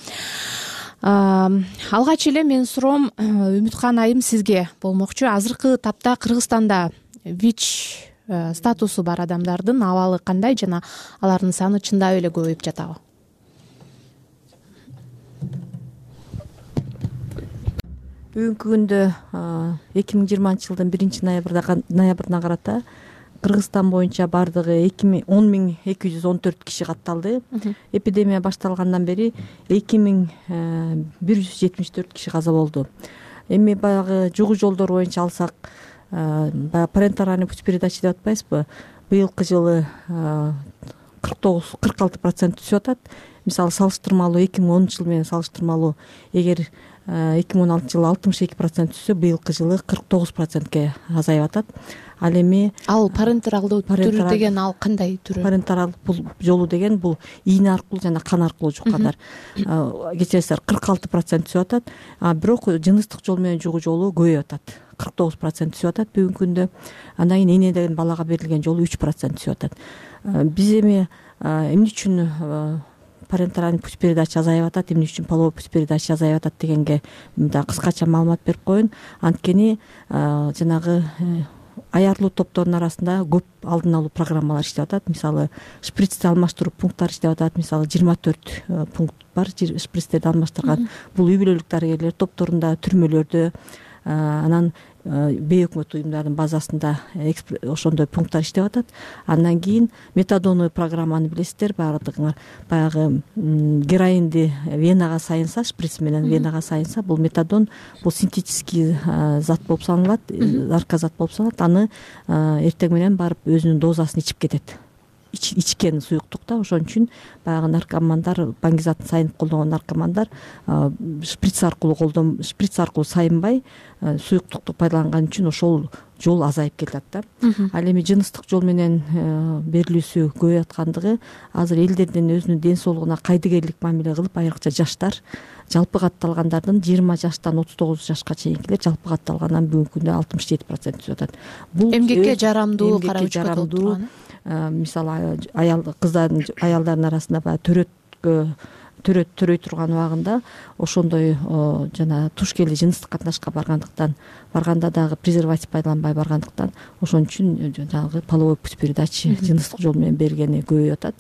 Алгач эле менин суроом Үмүткан айым сизге болмокчу. Азыркы тапта Кыргызстанда ВИЧ статусу бар адамдардын абалы кандай жана алардын саны чындап эле көбөйүп жатабы? Бүгүнкү күндө эки миң жыйырманчы жылдын биринчи ноябрына карата Кыргызстан боюнча бардыгы он миң эки жүз он төрт киши катталды. Эпидемия башталгандан бери эки миң бир жүз жетимиш төрт киши каза болду. эми баягы жугу жолдор боюнча алсак, баягы парентеральный путь передачи деп атпайбызбы, быйылкы жылы кырк тогуз кырк алты процент түсүп атат. Мисалы салыштырмалуу эки миң онунчу жыл менен салыштырмалуу эгер эки миң он алтынчы жылы алтымыш эки процент түшсө, быйылкы жылы кырк тогуз процентке азайып атат. Ал эми ал парентералдуу түрү деген ал кандай түрү? Парентералдуу жолу деген бул ийне аркылуу жана кан аркылуу жуккандар. Кечиресиздер, кырк алты процент түшүп атат. А бирок жыныстык жол менен жугу жолу көбөйүп атат. кырк тогуз процент түшүп атат бүгүнкү күндө. Андан кийин энеден балага берилген жолу үч процент түшүп атат. Биз эми эмне үчүн парентеральный путь передачи азайып атат, эмне үчүн половой путь передачи азайып атат дегенге мындай кыскача маалымат берип коеюн. Анткени жанагы аярлуу топтордун арасында көп алдын алуу программалар иштеп атат. Мисалы шприцти алмаштыруу пункттары иштеп атат. Мисалы жыйырма төрт пункт бар шприцтерди алмаштырган. Бул үй бүлөлүк дарыгерлер топторунда, түрмөлөрдө, анан бейөкмөт уюмдардын базасында ошондой пункттар иштеп атат. Андан кийин метадоновый программаны билесиздер, баардыгыңар. Баягы героинди венага сайынса, шприц менен венага сайынса, бул метадон бул синтетический зат болуп саналат, наркозат болуп саналат. Аны эртең менен барып өзүнүн дозасын ичип кетет. Ичкен суюктукта. Ошон үчүн баягы наркомандар, баңгизатын сайынып колдогон наркомандар шприц аркылуу колдон шприц аркылуу сайынбай суюктукту пайдаланган үчүн ошол жол азайып келет да. Ал эми жыныстык жол менен берилүүсү көбөйүп аткандыгы азыр элдердин өзүнүн ден соолугуна кайдыгерлик мамиле кылып, айрыкча жаштар, жалпы катталгандардын жыйырма жаштан отуз тогуз жашка чейинкилер жалпы катталгандан бүгүнкү күндө алтымыш жети процент түшүп атат. Бул эмгекке жарамдуу карабычка болуп турган. Мисалы аял кыздардын аялдардын арасында баягы төрөткө төрөт төрөй турган убагында ошондой жана туш келе жыныстык катнашка баргандыктан, барганда дагы презерватив пайдаланбай баргандыктан ошон үчүн жанагы половой путь передачи жыныстык жол менен берилгени көбөйүп атат.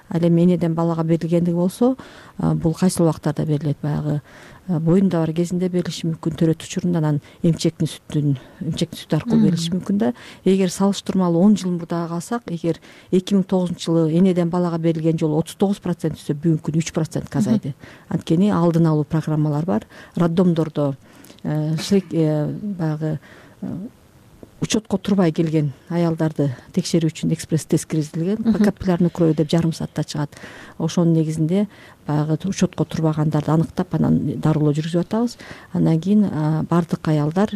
Ал эми энеден балага берилгендиги болсо, бул кайсыл убактарда берилет? Баягы боюнда бар кезинде берилиши мүмкүн, төрөт учурунда, анан эмчектин сүтүн эмчектин сүтү аркылуу берилиши мүмкүн да. Эгер салыштырмалуу он жыл мурдага калсак, эгер эки миң тогузунчу жылы энеден балага берилген жолу отуз тогуз процент түшсө, бүгүнкү күндө үч процентке азайды. Анткени алдын алуу программалар бар. Роддомдордо баягы учетко турбай келген аялдарды текшерүү үчүн экспресс тест киргизилген. Капиллярный кровь деп жарым саатта чыгат. Ошонун негизинде баягы учетко турбагандарды аныктап, анан дарылоо жүргүзүп атабыз. Андан кийин бардык аялдар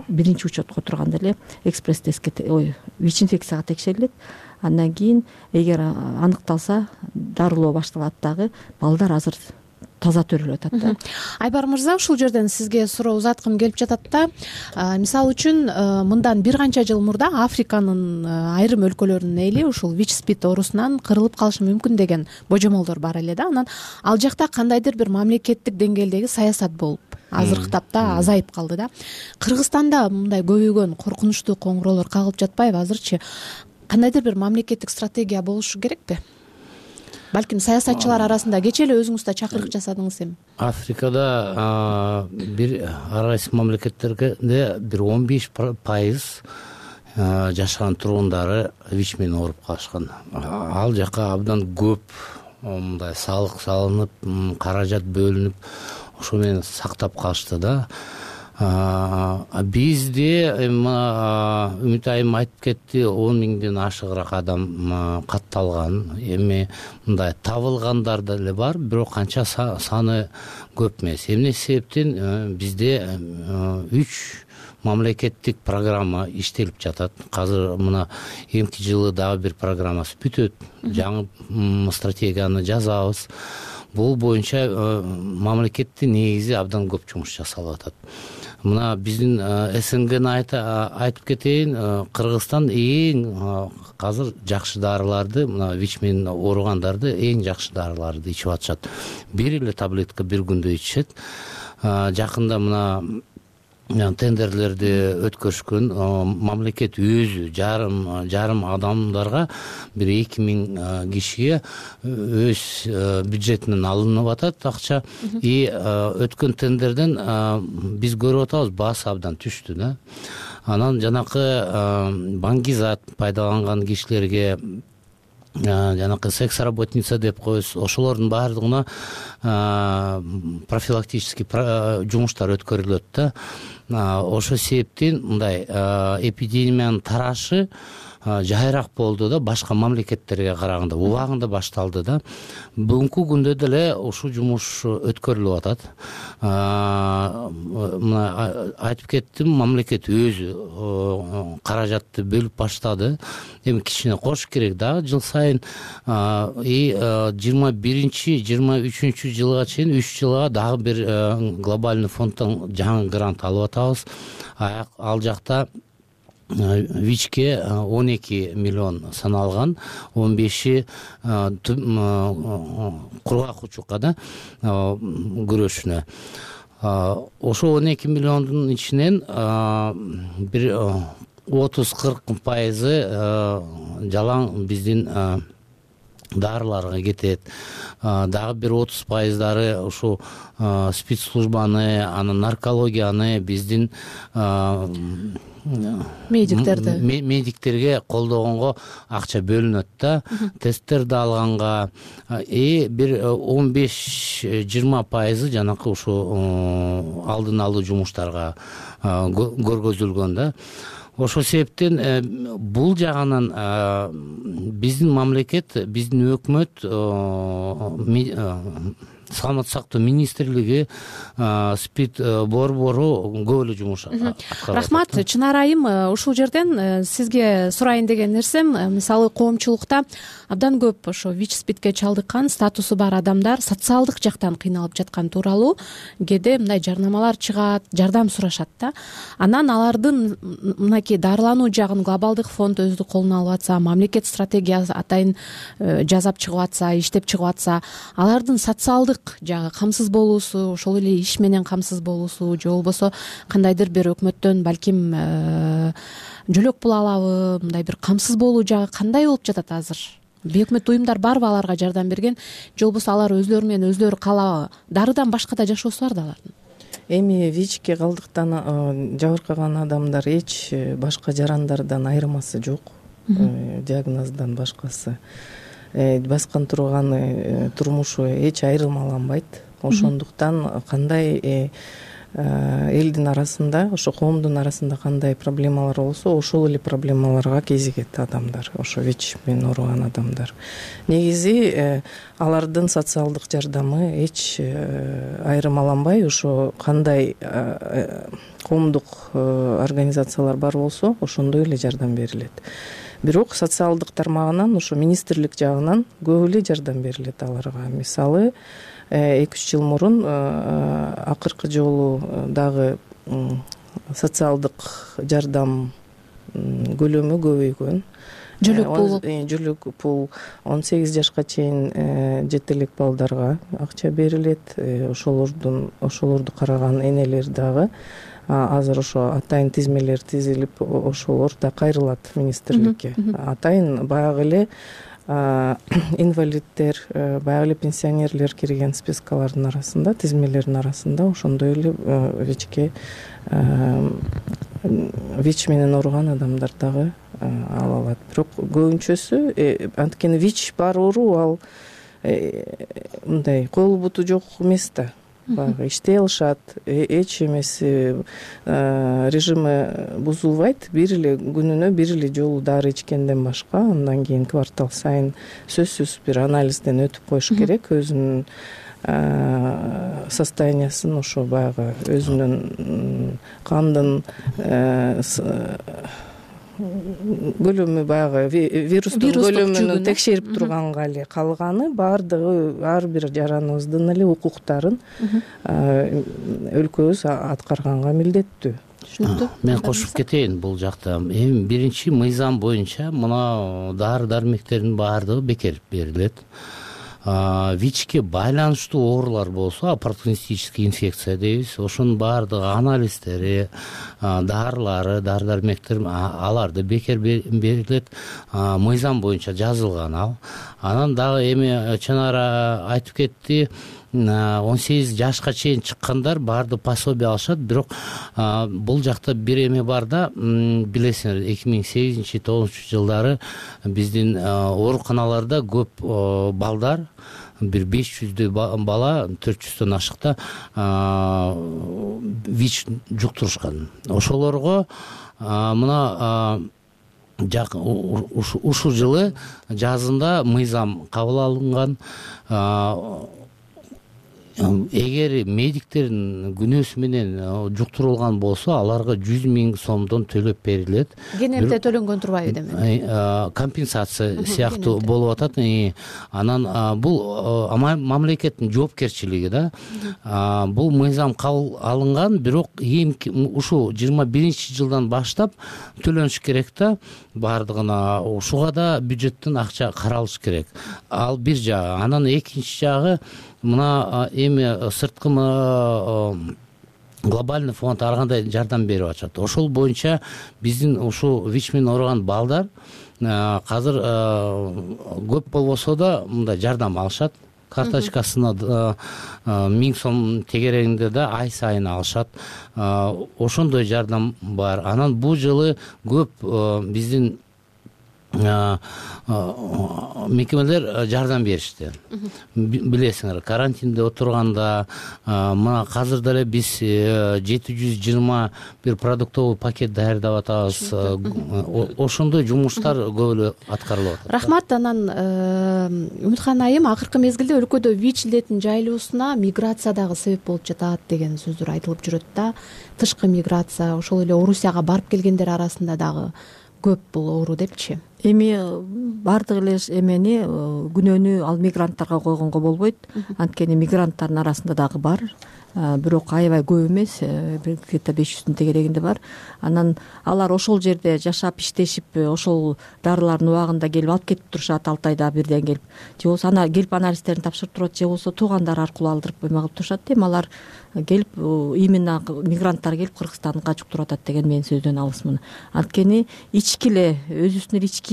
биринчи учетко турганда эле экспресс тестке, ой, ВИЧ инфекцияга текшерилет. Андан кийин эгер аныкталса, дарылоо башталат дагы. Балдар азыр таза төрөлүп атат да. Айбар мырза, ушул жерден сизге суроо узаткым келип жатат да. Мисалы үчүн мындан бир канча жыл мурда Африканын айрым өлкөлөрүнүн эли ушул ВИЧ спид оорусунан кырылып калышы мүмкүн деген божомолдор бар эле да. Анан ал жакта кандайдыр бир мамлекеттик деңгээлдеги саясат болуп, азыркы тапта азайып калды да. Кыргызстанда мындай көбөйгөн коркунучтуу коңгуроолор кагылып жатпайбы азырчы? Кандайдыр бир мамлекеттик стратегия болушу керекпи? Балким саясатчылар арасында кечээ эле өзүңүз да чакырык жасадыңыз эми. Африкада бир арайсыз мамлекеттерде бир он беш пайыз жашаган тургундары ВИЧ менен ооруп калышкан. Ал жака абдан көп мындай салык салынып, каражат бөлүнүп, ошо менен сактап калышты да. Бизде Үмүт айым айтып кетти, он миңден ашыгыраак адам катталган. Эми мындай табылгандар деле бар, бирок канча саны көп эмес. Эмне себептен бизде үч мамлекеттик программа иштелип жатат. Азыр мына эмки жылы дагы бир программасы бүтөт. Жаңы стратегияны жазабыз. Бул боюнча мамлекеттин негизи абдан көп жумуш жасалып атат. Мына биздин СНГны айтып кетейин, Кыргызстан эң азыр жакшы дарыларды, мына ВИЧ менен ооругандарды эң жакшы дарыларды ичип атышат. Бир эле таблетка бир күндө ичишет. Жакында мына тендерлерди өткөрүшкөн, мамлекет өзү жарым жарым адамдарга бир эки миң кишиге өз бюджетинен алынып атат акча. И өткөн тендерден биз көрүп атабыз, баасы абдан түштү да. Анан жанакы баңгизат пайдаланган кишилерге жанакы секс работница деп коебуз, ошолордун баардыгына профилактический жумуштар өткөрүлөт да. Ошол себептен мындай эпидемиянын тарашы жайыраак болду да, башка мамлекеттерге караганда убагында башталды да. Бүгүнкү күндө деле ушул жумуш өткөрүлүп атат. Мына айтып кеттим, мамлекет өзү каражатты бөлүп баштады. Эми кичине кош керек дагы, жыл сайын жыйырма биринчи жыйырма үчүнчү жылга чейин үч жылга дагы бир глобальный фонддон жаңы грант алып атабыз. Ал жакта ВИЧке он эки миллион саналган, он беши кургак учукка да күрөшүнө. Ошо он эки миллиондун ичинен бир отуз кырк пайызы жалаң биздин дарыларга кетет. Дагы бир отуз пайыздары ушу спецслужбаны, анан наркологияны, биздин медиктерди медиктерге колдогонго акча бөлүнөт да, тесттерди алганга. И бир он беш жыйырма пайызы жанакы ушу алдын алуу жумуштарга көргөзүлгөн да. Ошол себептен бул жагынан биздин мамлекет, биздин өкмөт, саламаттык сактоо министрлиги, СПИД борбору көп эле жумуш аткарып атат. Рахмат. Чынар айым, ушул жерден сизге сурайын деген нерсем, мисалы коомчулукта абдан көп ошо ВИЧ СПИДке чалдыккан, статусу бар адамдар социалдык жактан кыйналып жаткан тууралуу кээде мындай жарнамалар чыгат, жардам сурашат да. Анан алардын мынакей дарылануу жагын глобалдык фонд өзү колуна алып атса, мамлекет стратегиясы атайын жасап чыгып атса, иштеп чыгып атса, алардын социалдык жагы камсыз болуусу, ошол эле иш менен камсыз болуусу, же болбосо кандайдыр бир өкмөттөн балким жөлөк пул алабы, мындай бир камсыз болуу жагы кандай болуп жатат азыр? Бейөкмөт уюмдар барбы аларга жардам берген, же болбосо алар өзлөрү менен өзлөрү каалабы? Дарыдан башка да жашоосу бар да алардын. Эми ВИЧке калдыктан жабыркаган адамдар эч башка жарандардан айырмасы жок, диагноздан башкасы. Баскан турган турмушу эч айырмаланбайт. Ошондуктан кандай элдин арасында, ошо коомдун арасында кандай проблемалар болсо, ошол эле проблемаларга кезигет адамдар, ошо ВИЧ менен ооруган адамдар. Негизи алардын социалдык жардамы эч айырмаланбай, ошо кандай коомдук организациялар бар болсо, ошондой эле жардам берилет. Бирок социалдык тармагынан, ошо министрлик жагынан көп эле жардам берилет аларга. Мисалы, эки үч жыл мурун акыркы жолу дагы социалдык жардам көлөмү көбөйгөн. Жөлөк пул жөлөк пул он сегиз жашка чейин жете элек балдарга акча берилет. Ошолордун ошолорду караган энелер дагы азыр ошо атайын тизмелер тизилип, ошолор да кайрылат министрликке. Атайын баягы эле инвалиддер, баягы эле пенсионерлер кирген спискалардын арасында, тизмелердин арасында ошондой эле ВИЧке ВИЧ менен ооруган адамдар дагы ала алат. Бирок көбүнчөсү анткени ВИЧ бар оору, ал мындай колу буту жок эмес да. Баягы иштей алышат, эч эмеси режими бузулбайт. Бир эле күнүнө бир эле жолу дары ичкенден башка, андан кийин квартал сайын сөзсүз бир анализден өтүп коюш керек, өзүнүн состояниясын, ошо баягы өзүнүн кандын көлөмү, баягы вирустун көлөмүн текшерип турганга эле калганы, баардыгы ар бир жараныбыздын эле укуктарын өлкөбүз аткарганга милдеттүү. Мен кошуп кетейин бул жакта. Эми биринчи мыйзам боюнча мына дары дармектердин баардыгы бекер берилет. ВИЧке байланыштуу оорулар болсо, оппортунистический инфекция дейбиз, ошонун баардыгы анализдери, дарылары, дары дармектер аларды бекер берилет. Мыйзам боюнча жазылган ал. Анан дагы эми Чанара айтып кетти, он сегиз жашка чейин чыккандар баардыгы пособие алышат. Бирок бул жакта бир эме бар да, билесиңер, эки миң сегизинчи тогузунчу жылдары биздин ооруканаларда көп балдар, бир беш жүздөй бала, төрт жүздөн ашыкта ВИЧ жуктурушкан. Ошолорго мына ушул жылы жазында мыйзам кабыл алынган. Эгер медиктердин күнөөсү менен жуктурулган болсо, аларга жүз миң сомдон төлөп берилет. Кененте төлөнгөн турбайбы демек? Компенсация сыяктуу болуп атат. Анан бул мамлекеттин жоопкерчилиги да. Бул мыйзам кабыл алынган, бирок ушул жыйырма биринчи жылдан баштап төлөнүш керек да. Бардыгына ушуга да бюджеттен акча каралыш керек. Ал бир жагы. Анан экинчи жагы, мына эми сырткы глобальный фонд ар кандай жардам берип атат. Ошол боюнча биздин ушул ВИЧ менен ооруган балдар азыр көп болбосо да мындай жардам алышат. Карточкасына миң сом тегерегинде да ай сайын алышат. Ошондой жардам бар. Анан бул жылы көп биздин мекемелер жардам беришти. Билесиңер, карантинде отурганда мына азыр деле биз жети жүз жыйырма бир продуктовый пакет даярдап атабыз. Ошондой жумуштар көп эле аткарылып атат. Рахмат. Анан Үмүткан айым, акыркы мезгилде өлкөдө ВИЧ илетин жайылуусуна миграция дагы себеп болуп жатат деген сөздөр айтылып жүрөт да. Тышкы миграция, ошол эле Орусияга барып келгендер арасында дагы көп бул оору депчи. Эми бардык эле эмени, күнөөнү ал мигранттарга койгонго болбойт. Анткени мигранттардын арасында дагы бар. Бирок аябай көп эмес, где-то беш жүздүн тегерегинде бар. Анан алар ошол жерде жашап, иштешип, ошол дарылардын убагында келип алып кетип турушат, алты айда бирден келип. Же болбосо ана келип анализдерин тапшырып турат, же болбосо туугандар аркылуу алдырып эме кылып турушат. Эми алар келип, именно мигранттар келип Кыргызстанга жуктуруп атат деген менин сөздөн алысмын. Анткени ички эле өзүбүздүн ички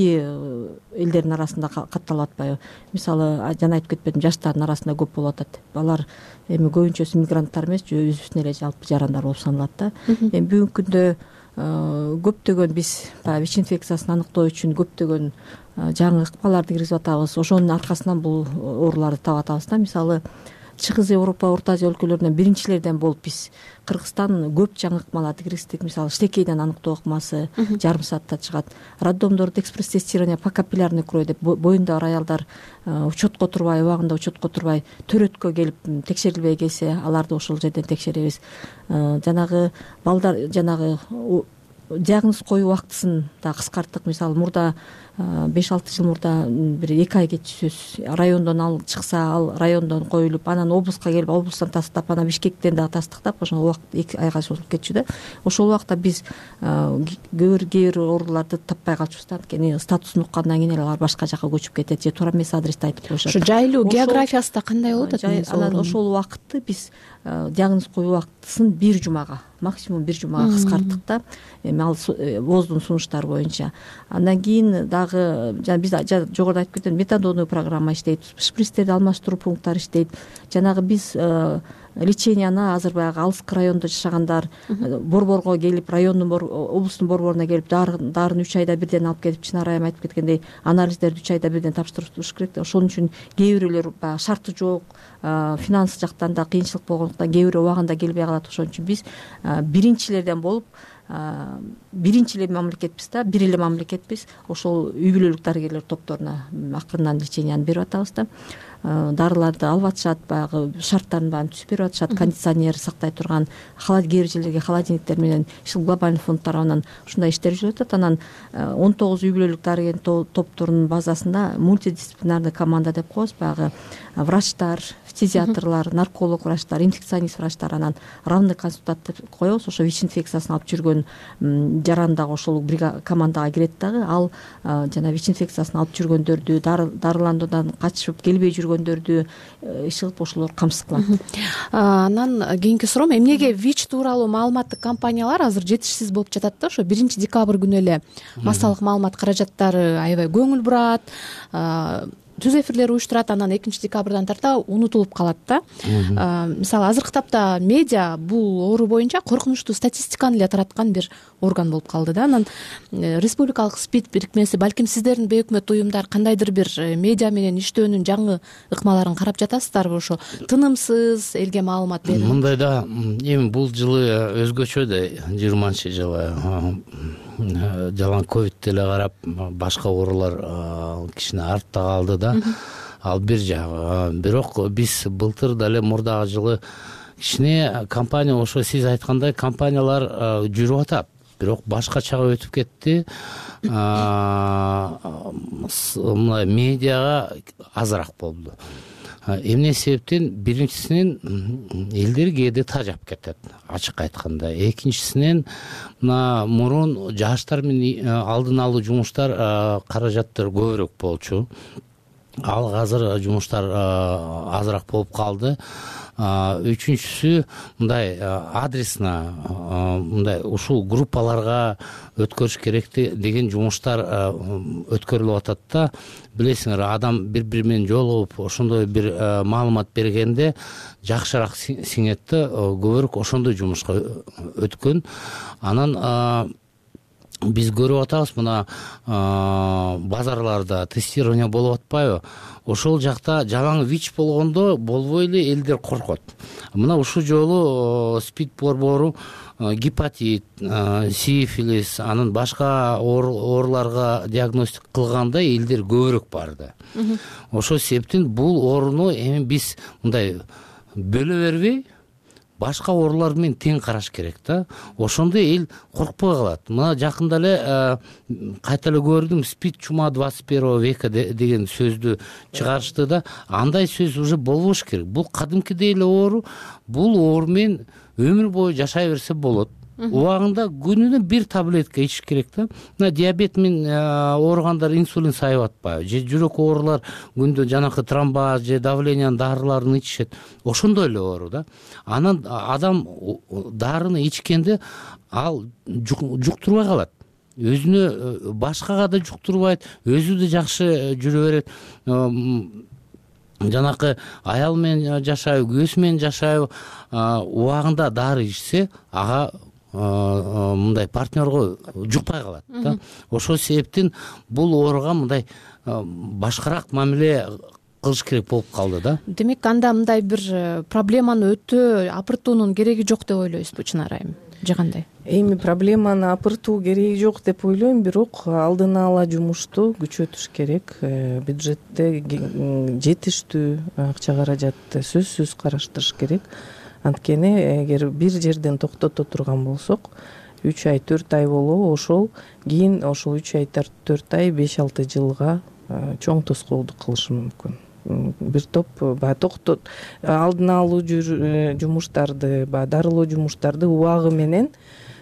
элдердин арасында катталып атпайбы? Мисалы, жана айтып кетпедим, жаштардын арасында көп болуп атат. Алар эми көбүнчөсү мигранттар эмес, өзүбүздүн эле жалпы жарандар болуп саналат да. Эми бүгүнкү күндө көптөгөн биз баягы ВИЧ инфекциясын аныктоо үчүн көптөгөн жаңы ыкмаларды киргизип атабыз. Ошонун аркасынан бул ооруларды таап атабыз да. Мисалы, Чыгыз Европа, Орто Азия өлкөлөрүнөн биринчилерден болуп биз Кыргызстан көп жаңы ыкмаларды киргиздик. Мисалы, штекейден аныктоо ыкмасы жарым саатта чыгат. Роддомдордо экспресс-тестирование по капиллярной крови деп боюнда бар аялдар учетко турбай, убагында учетко турбай, төрөткө келип текшерилбей келсе, аларды ошол жерден текшеребиз. Жанагы балдар, жанагы диагноз коюу убактысын да кыскарттык. Мисалы, мурда беш алты жыл мурда бир эки ай кетчүсүз райондон ал чыкса, ал райондон коюлуп, анан облуска келип, облустан тастап, анан Бишкектен дагы тастыктап, ошол убакыт эки айга созулуп кетчү да. Ошол убакта биз кээ бир ооруларды таппай калчубуз да. Анткени статусун уккандан кийин эле алар башка жака көчүп кетет, же туура эмес адрести айтып коюшат. Ошо жайлуу географиясы да кандай болот атат? Анан ошол убакытты биз диагноз коюу убактысын бир жумага, максимум бир жумага кыскарттык да. Эми ал ВОЗдун сунуштары боюнча. Андан кийин дагы жана биз жогоруда айтып кеткен метадондуу программа иштейт, шприцтерди алмаштыруу пункттары иштейт. Жанагы биз леченияны азыр баягы алыскы райондо жашагандар борборго келип, райондун облустун борборуна келип, дарыны үч айда бирден алып кетип, Чынар айым айтып кеткендей, анализдерди үч айда бирден тапшырып туруш керек да. Ошон үчүн кээ бирөөлөр баягы шарты жок, финанс жактан да кыйынчылык болгондуктан кээ бирөө убагында келбей калат. Ошон үчүн биз биринчилерден болуп, биринчи эле мамлекетпиз да, бир эле мамлекетпиз. Ошол үй бүлөлүк дарыгерлер топторуна акырынан леченияны берип атабыз да. Дарыларды алып атышат, баягы шарттарын баарын түзүп берип атышат, кондиционер сактай турган, кээ бир жерлерге холодильниктер менен глобальный фонд тарабынан ушундай иштер жүрүп атат. Анан он тогуз үй бүлөлүк дарыгер топторунун базасында мультидисциплинарный команда деп коебуз. Баягы врачтар, фтизиатрлар, нарколог врачтар, инфекционист врачтар, анан равный консультант деп коебуз. Ошо ВИЧ инфекциясын алып жүргөн жаран дагы ошол командага кирет дагы. Ал жана ВИЧ инфекциясын алып жүргөндөрдү, дарыландуудан качып келбей жүргөндөрдү иш кылып ошолор камсыз кылат. Анан кийинки суроом, эмнеге ВИЧ тууралуу маалыматтык компаниялар азыр жетишсиз болуп жатат да? Ошо биринчи декабрь күнү эле массалык маалымат каражаттары аябай көңүл бурат. түз эфирлер уюштурат, анан экинчи декабрдан тарта унутулуп калат да. Мисалы азыркы тапта медиа бул оору боюнча коркунучтуу статистиканы эле тараткан бир орган болуп калды да. Анан республикалык СПИД бирикмеси, балким сиздердин бейөкмөт уюмдар кандайдыр бир медиа менен иштөөнүн жаңы ыкмаларын карап жатасыздарбы? Ошо тынымсыз элге маалымат берүү. Мындай да, эми бул жылы өзгөчө да, жыйырманчы жылы жалаң ковид деле карап башка оорулар кичине артта калды да. Ал бир жагы. Бирок биз былтыр деле мурдагы жылы кичине компания, ошо сиз айткандай компаниялар жүрүп атат, бирок башкачага өтүп кетти. Мындай медиага азыраак болду. Эмне себептен? Биринчисинен элдер кээде тажап кетет, ачык айтканда. Экинчисинен мына мурун жаштар менен алдын алуу жумуштар каражаттар көбүрөөк болчу. Ал азыр жумуштар азыраак болуп калды. Үчүнчүсү мындай адресно мындай ушул группаларга өткөрүш керек деген жумуштар өткөрүлүп атат да. Билесиңер, адам бири-бири менен жолугуп ошондой бир маалымат бергенде жакшыраак сиңет да, көбүрөөк ошондой жумушка өткөн. Анан биз көрүп атабыз, мына базарларда тестирование болуп атпайбы? Ошол жакта жалаң ВИЧ болгондо болбой эле элдер коркот. Мына ушул жолу СПИД борбору гепатит, сифилис, анан башка ооруларга диагностика кылганда элдер көбүрөөк барды. Ошол себептен бул ооруну эми биз мындай бөлө бербей, башка оорулар менен тең караш керек да. Ошондо эл коркпой калат. Мына жакында эле кайта эле көрдүм, СПИД чума двадцать первого века деген сөздү чыгарышты да. Андай сөз уже болбош керек. Бул кадимкидей эле оору. Бул оору менен өмүр бою жашай берсе болот. Убагында күнүнө бир таблетка ичиш керек да. Мына диабет менен ооругандар инсулин сайып атпайбы? Же жүрөк оорулар күндө жанакы тромбоз же давлениянын дарыларын ичишет. Ошондой эле оору да. Анан адам дарыны ичкенде ал жуктурбай калат. Өзүнө, башкага да жуктурбайт, өзү да жакшы жүрө берет. Жанакы аял менен жашайбы, күйөөсү менен жашайбы, убагында дары ичсе, ага мындай партнерго жукпай калат да. Ошол себептен бул ооруга мындай башкараак мамиле кылыш керек болуп калды да. Демек, анда мындай бир проблеманы өтө апыртуунун кереги жок деп ойлойсузбу, Чынара айым? Же кандай? Эми проблеманы апыртуу кереги жок деп ойлойм, бирок алдын ала жумушту күчөтүш керек. Бюджетте жетиштүү акча каражатты сөзсүз караштырыш керек. Анткени эгер бир жерден токтото турган болсок, үч ай, төрт ай болобу, ошол кийин ошол үч ай, төрт ай, беш алты жылга чоң тоскоолдук кылышы мүмкүн. Бир топ баягы токтот алдын алуу жумуштарды, баягы дарылоо жумуштарды убагы менен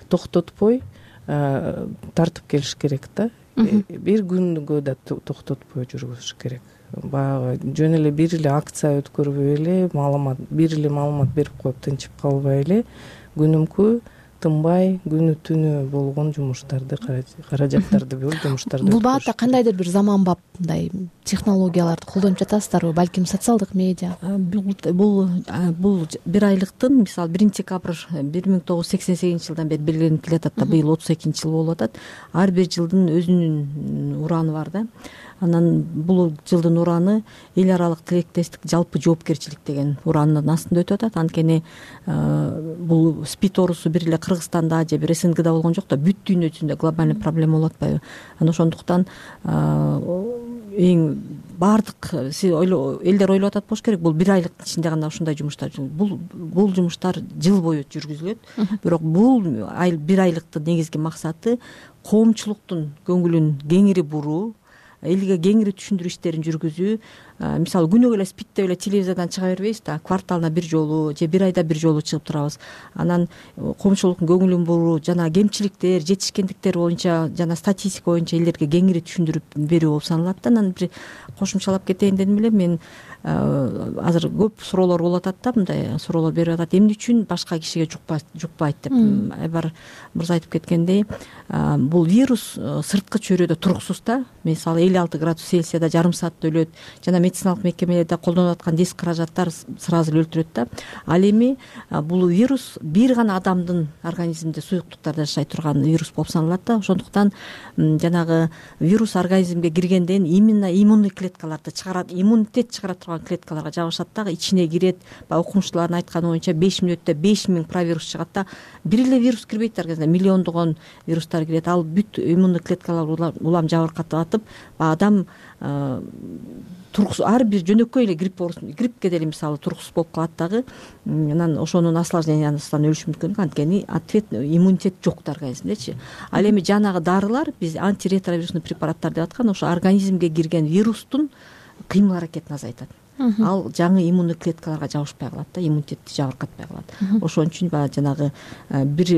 токтотпой тартып келиш керек да. Бир күнгө да токтотпой жүргүзүш керек. Баягы жөн эле бир эле акция өткөрбөй эле, маалымат бир эле маалымат берип коюп тынчып калбай эле, күнүмкү тынбай күнү түнү болгон жумуштарды, каражаттарды бөлүп жумуштарды. Бул багытта кандайдыр бир заманбап мындай технологияларды колдонуп жатасыздарбы? Балким социалдык медиа? Бул бул бир айлыктын, мисалы биринчи декабрь бир миң тогуз жүз сексен сегизинчи жылдан бери белгиленип келатат да, быйыл отуз экинчи жыл болуп атат. Ар бир жылдын өзүнүн ураны бар да. Анан бул жылдын ураны эл аралык тилектестик, жалпы жоопкерчилик деген уранын астында өтүп атат. Анткени бул СПИД оорусу бир эле Кыргызстанда же бир СНГда болгон жок да, бүт дүйнө жүзүндө глобальный проблема болуп атпайбы? Анан ошондуктан эң баардык элдер ойлоп атат болуш керек, бул бир айлыктын ичинде гана ушундай жумуштар. Бул бул жумуштар жыл бою жүргүзүлөт. Бирок бул бир айлыктын негизги максаты коомчулуктун көңүлүн кеңири буруу, элге кеңири түшүндүрүү иштерин жүргүзүү, мисалы күнүгө эле спид деп эле телевизордон чыга бербейбиз да, кварталына бир жолу же бир айда бир жолу чыгып турабыз. Анан коомчулуктун көңүлүн буруу жана кемчиликтер, жетишкендиктер боюнча жана статистика боюнча элдерге кеңири түшүндүрүп берүү болуп саналат да. Анан бир кошумчалап кетейин дедим эле, мен азыр көп суроолор болуп атат да, мындай суроолор берип атат, эмне үчүн башка кишиге жукпайт деп. Айбар мырза айтып кеткендей, бул вирус сырткы чөйрөдө туруксуз да. Мисалы элүү алты градус Цельсияда жарым саатта өлөт, жана медициналык мекемелерде колдонуп аткан диск каражаттар сразу эле өлтүрөт да. Ал эми бул вирус бир гана адамдын организминде, суюктуктарда жашай турган вирус болуп саналат да. Ошондуктан жанагы вирус организмге киргенден именно иммунный клеткаларды чыгарат, иммунитет чыгара турган клеткаларга жабышат дагы, ичине кирет. Баягы окумуштуулардын айтканы боюнча беш мүнөттө беш миң провирус чыгат да. Бир эле вирус кирбейт организмге, миллиондогон вирустар кирет. Ал бүт иммунный клеткалар улам жабыркатып атып, адам туруксуз, ар бир жөнөкөй эле грипп гриппке деле мисалы туруксуз болуп калат дагы. Анан ошонун осложнениясынан өлүшү мүмкүн, анткени ответ иммунитет жок да организмдечи. Ал эми жанагы дарылар, биз антиретровирусный препараттар деп аткан, ошо организмге кирген вирустун кыймыл аракетин азайтат. Ал жаңы иммунный клеткаларга жабышпай калат да, иммунитетти жабыркатпай калат. Ошон үчүн баягы жанагы бир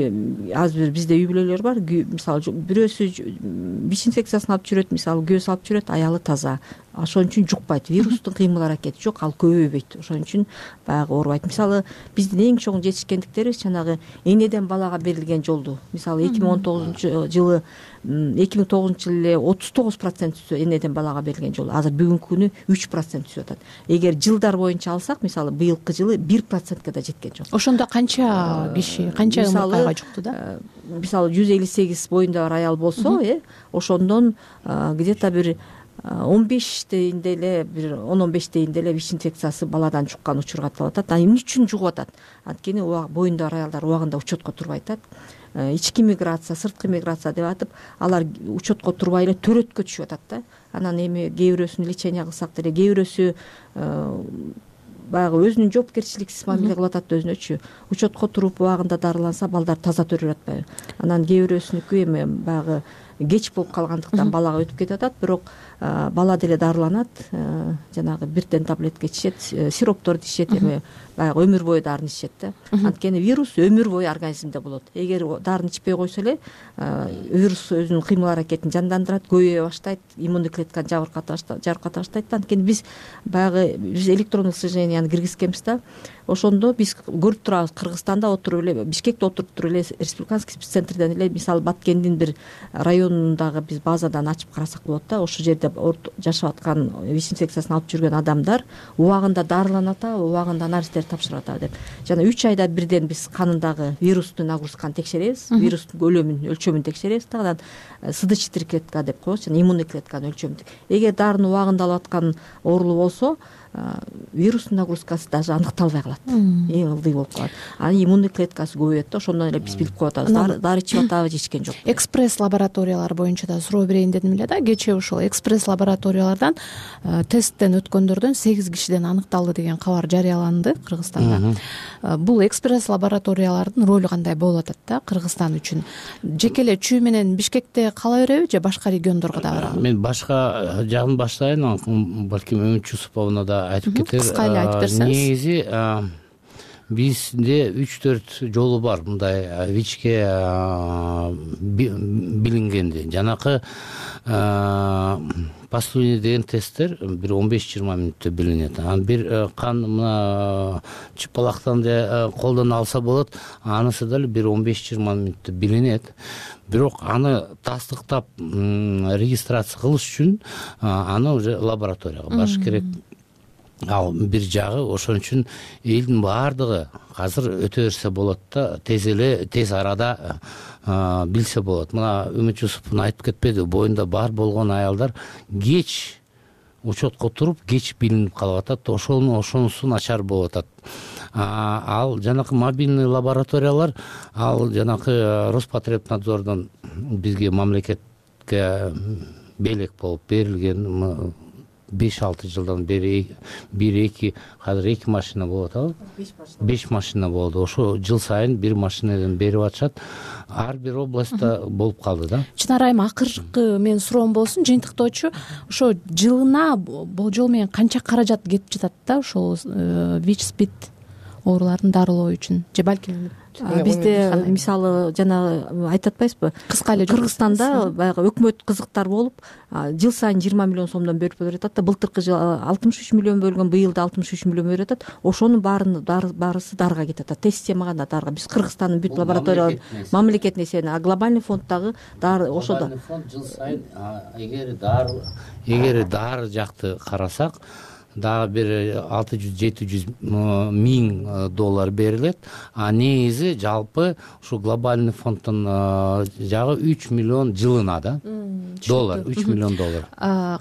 азыр бир бизде үй бүлөлөр бар, мисалы бирөөсү вич инфекциясын алып жүрөт, мисалы күйөөсү алып жүрөт, аялы таза. Ошон үчүн жукпайт, вирустун кыймыл аракети жок, ал көбөйбөйт. Ошон үчүн баягы оорубайт. Мисалы биздин эң чоң жетишкендиктерибиз жанагы энеден балага берилген жолду. Мисалы эки миң он тогузунчу жылы эки миң тогузунчу жылы эле отуз тогуз процент түсө энеден балага берилген жол. Азыр бүгүнкү күнү үч процент түсүп атат. Эгер жылдар боюнча алсак, мисалы быйылкы жылы бир процентке да жеткен жок. Ошондо канча киши, канча ымыркайга жукту да? Мисалы жүз элүү сегиз боюнда бар аял болсо, э, ошондон где-то бир он беш дейинде эле, бир он он беш дейинде эле вич инфекциясы баладан жуккан учур катталып атат. Эмне үчүн жугуп атат? Анткени боюнда бар аялдар убагында учетко турбай атат. Ички миграция, сырткы миграция деп атып, алар учетко турбай эле төрөткө түшүп атат да. Анан эми кээ бирөөсүн лечение кылсак деле, кээ бирөөсү баягы өзүнүн жоопкерчиликсиз мамиле кылып атат өзүнөчү. Учетко туруп убагында дарыланса, балдар таза төрөлүп атпайбы? Анан кээ бирөөсүнүкү эми баягы кеч болуп калгандыктан балага өтүп кетип атат, бирок бала деле дарыланат, жанагы бирден таблетка ичет, сиропторду ичет, эми баягы өмүр бою дарыны ичет да. Анткени вирус өмүр бою организмде болот. Эгер дарыны ичпей койсо эле, вирус өзүнүн кыймыл аракетин жандандырат, көбөйө баштайт, иммунный клетканы жабырката баштайт да. Анткени биз баягы биз электронный слеженияны киргизкенбиз да. Ошондо биз көрүп турабыз, Кыргызстанда отуруп эле, Бишкекте отуруп туруп эле республиканский спеццентрден эле, мисалы Баткендин бир районундагы биз базадан ачып карасак болот да. Ошол жерде жашап аткан вич инфекциясын алып жүргөн адамдар убагында дарыланат, убагында анализдер тапшырып атабы деп. Жана үч айда бирден биз канындагы вирустун нагрузканы текшеребиз, вирустун көлөмүн, өлчөмүн текшеребиз да. Анан сыдычный клетка деп коебуз, жана иммунный клетканын өлчөмүн. Эгер дарыны убагында алып аткан оорулуу болсо, вирустун нагрузкасы даже аныкталбай калат, эң ылдый болуп калат. Анан иммунный клеткасы көбөйөт да, ошондон эле биз билип коюп атабыз, дары ичип атабы же ичкен жокпу. Экспресс лабораториялар боюнча да суроо берейин дедим эле да. Кечээ ушул экспресс лабораториялардан тесттен өткөндөрдөн сегиз кишиден аныкталды деген кабар жарыяланды Кыргызстанда. Бул экспресс лабораториялардын ролу кандай болуп атат да Кыргызстан үчүн? Жеке эле Чүй менен Бишкекте кала береби же башка региондорго да барабы? Мен башка жагын баштайын, балким Өмүт Жусуповна да айтып кетер. Кыска эле айтып берсеңиз. Негизи бизде үч төрт жолу бар мындай вичке билингенди. Жанакы пастуни деген тесттер бир он беш жыйырма мүнөттө билинет. Анан бир кан мына чыпалактан да колдон алса болот, анысы деле бир он беш жыйырма мүнөттө билинет. Бирок аны тастыктап регистрация кылыш үчүн аны уже лабораторияга барыш керек. Ал бир жагы, ошон үчүн элдин баардыгы азыр өтө берсе болот да, тез эле тез арада билсе болот. Мына Өмүт Жусупов айтып кетпеди, боюнда бар болгон аялдар кеч учетко туруп, кеч билинип калып атат, ошону ошонусу начар болуп атат. Ал жанакы мобильный лабораториялар, ал жанакы Роспотребнадзордон бизге мамлекетке белек болуп берилген беш алты жылдан бери бир эки азыр эки машина болуп атабы беш машина болду. Ошо жыл сайын бир машинадан берип атышат. Ар бир областта болуп калды да. Чынар айым, акыркы менин суроом болсун, жыйынтыктоочу ошо жылына болжол менен канча каражат кетип жатат да ошол вич спид ооруларын дарылоо үчүн? Же балким бизде мисалы жана айтып атпайсызбы, кыска эле Кыргызстанда баягы өкмөт кызыктар болуп жыл сайын жыйырма миллион сомдон бөлүп берип атат да. Былтыркы жылы алтымыш үч миллион бөлгөн, быйыл да алтымыш үч миллион берип атат. Ошонун баарын баарысы дарыга кетип атат. Тест система гана дарыга. Биз Кыргызстандын бүт лабораториялар мамлекеттик несиени, а глобальный фонддагы дары ошодо. Глобальный фонд жыл сайын эгер дары эгер дары жакты карасак дагы бир алты жүз жети жүз миң доллар берилет. А негизи жалпы ушу глобальный фонддон жагы үч миллион жылына да. Доллар, үч миллион доллар.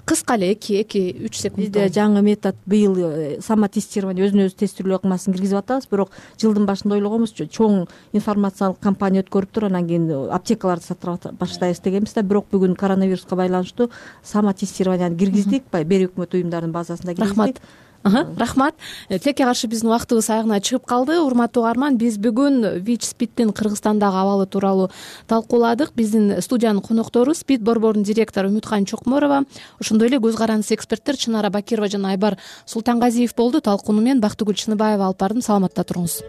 Кыска эле эки эки үч секунд. Бизде жаңы метод быйыл самотестирование, өзүнө өзү тестирлөө ыкмасын киргизип атабыз, бирок жылдын башында ойлогонбуз, чоң информациялык кампания өткөрүп туруп анан кийин аптекаларды сатып баштайбыз дегенбиз да. Бирок бүгүн коронавируска байланыштуу самотестированияны киргиздик, бир өкмөт уюмдарынын базасында киргиздик. Рахмат. Тилекке каршы биздин убактыбыз аягына чыгып калды. Урматтуу угарман, биз бүгүн ВИЧ спидтин Кыргызстандагы абалы тууралуу талкууладык. Биздин студиянын коноктору спид борборунун директору Үмүткан Чокморова, ошондой эле көз карандысыз эксперттер Чынара Бакирова жана Айбар Султангазиев болду. Талкууну мен Бактыгүл Чыныбаева алып бардым. Саламатта туруңуз.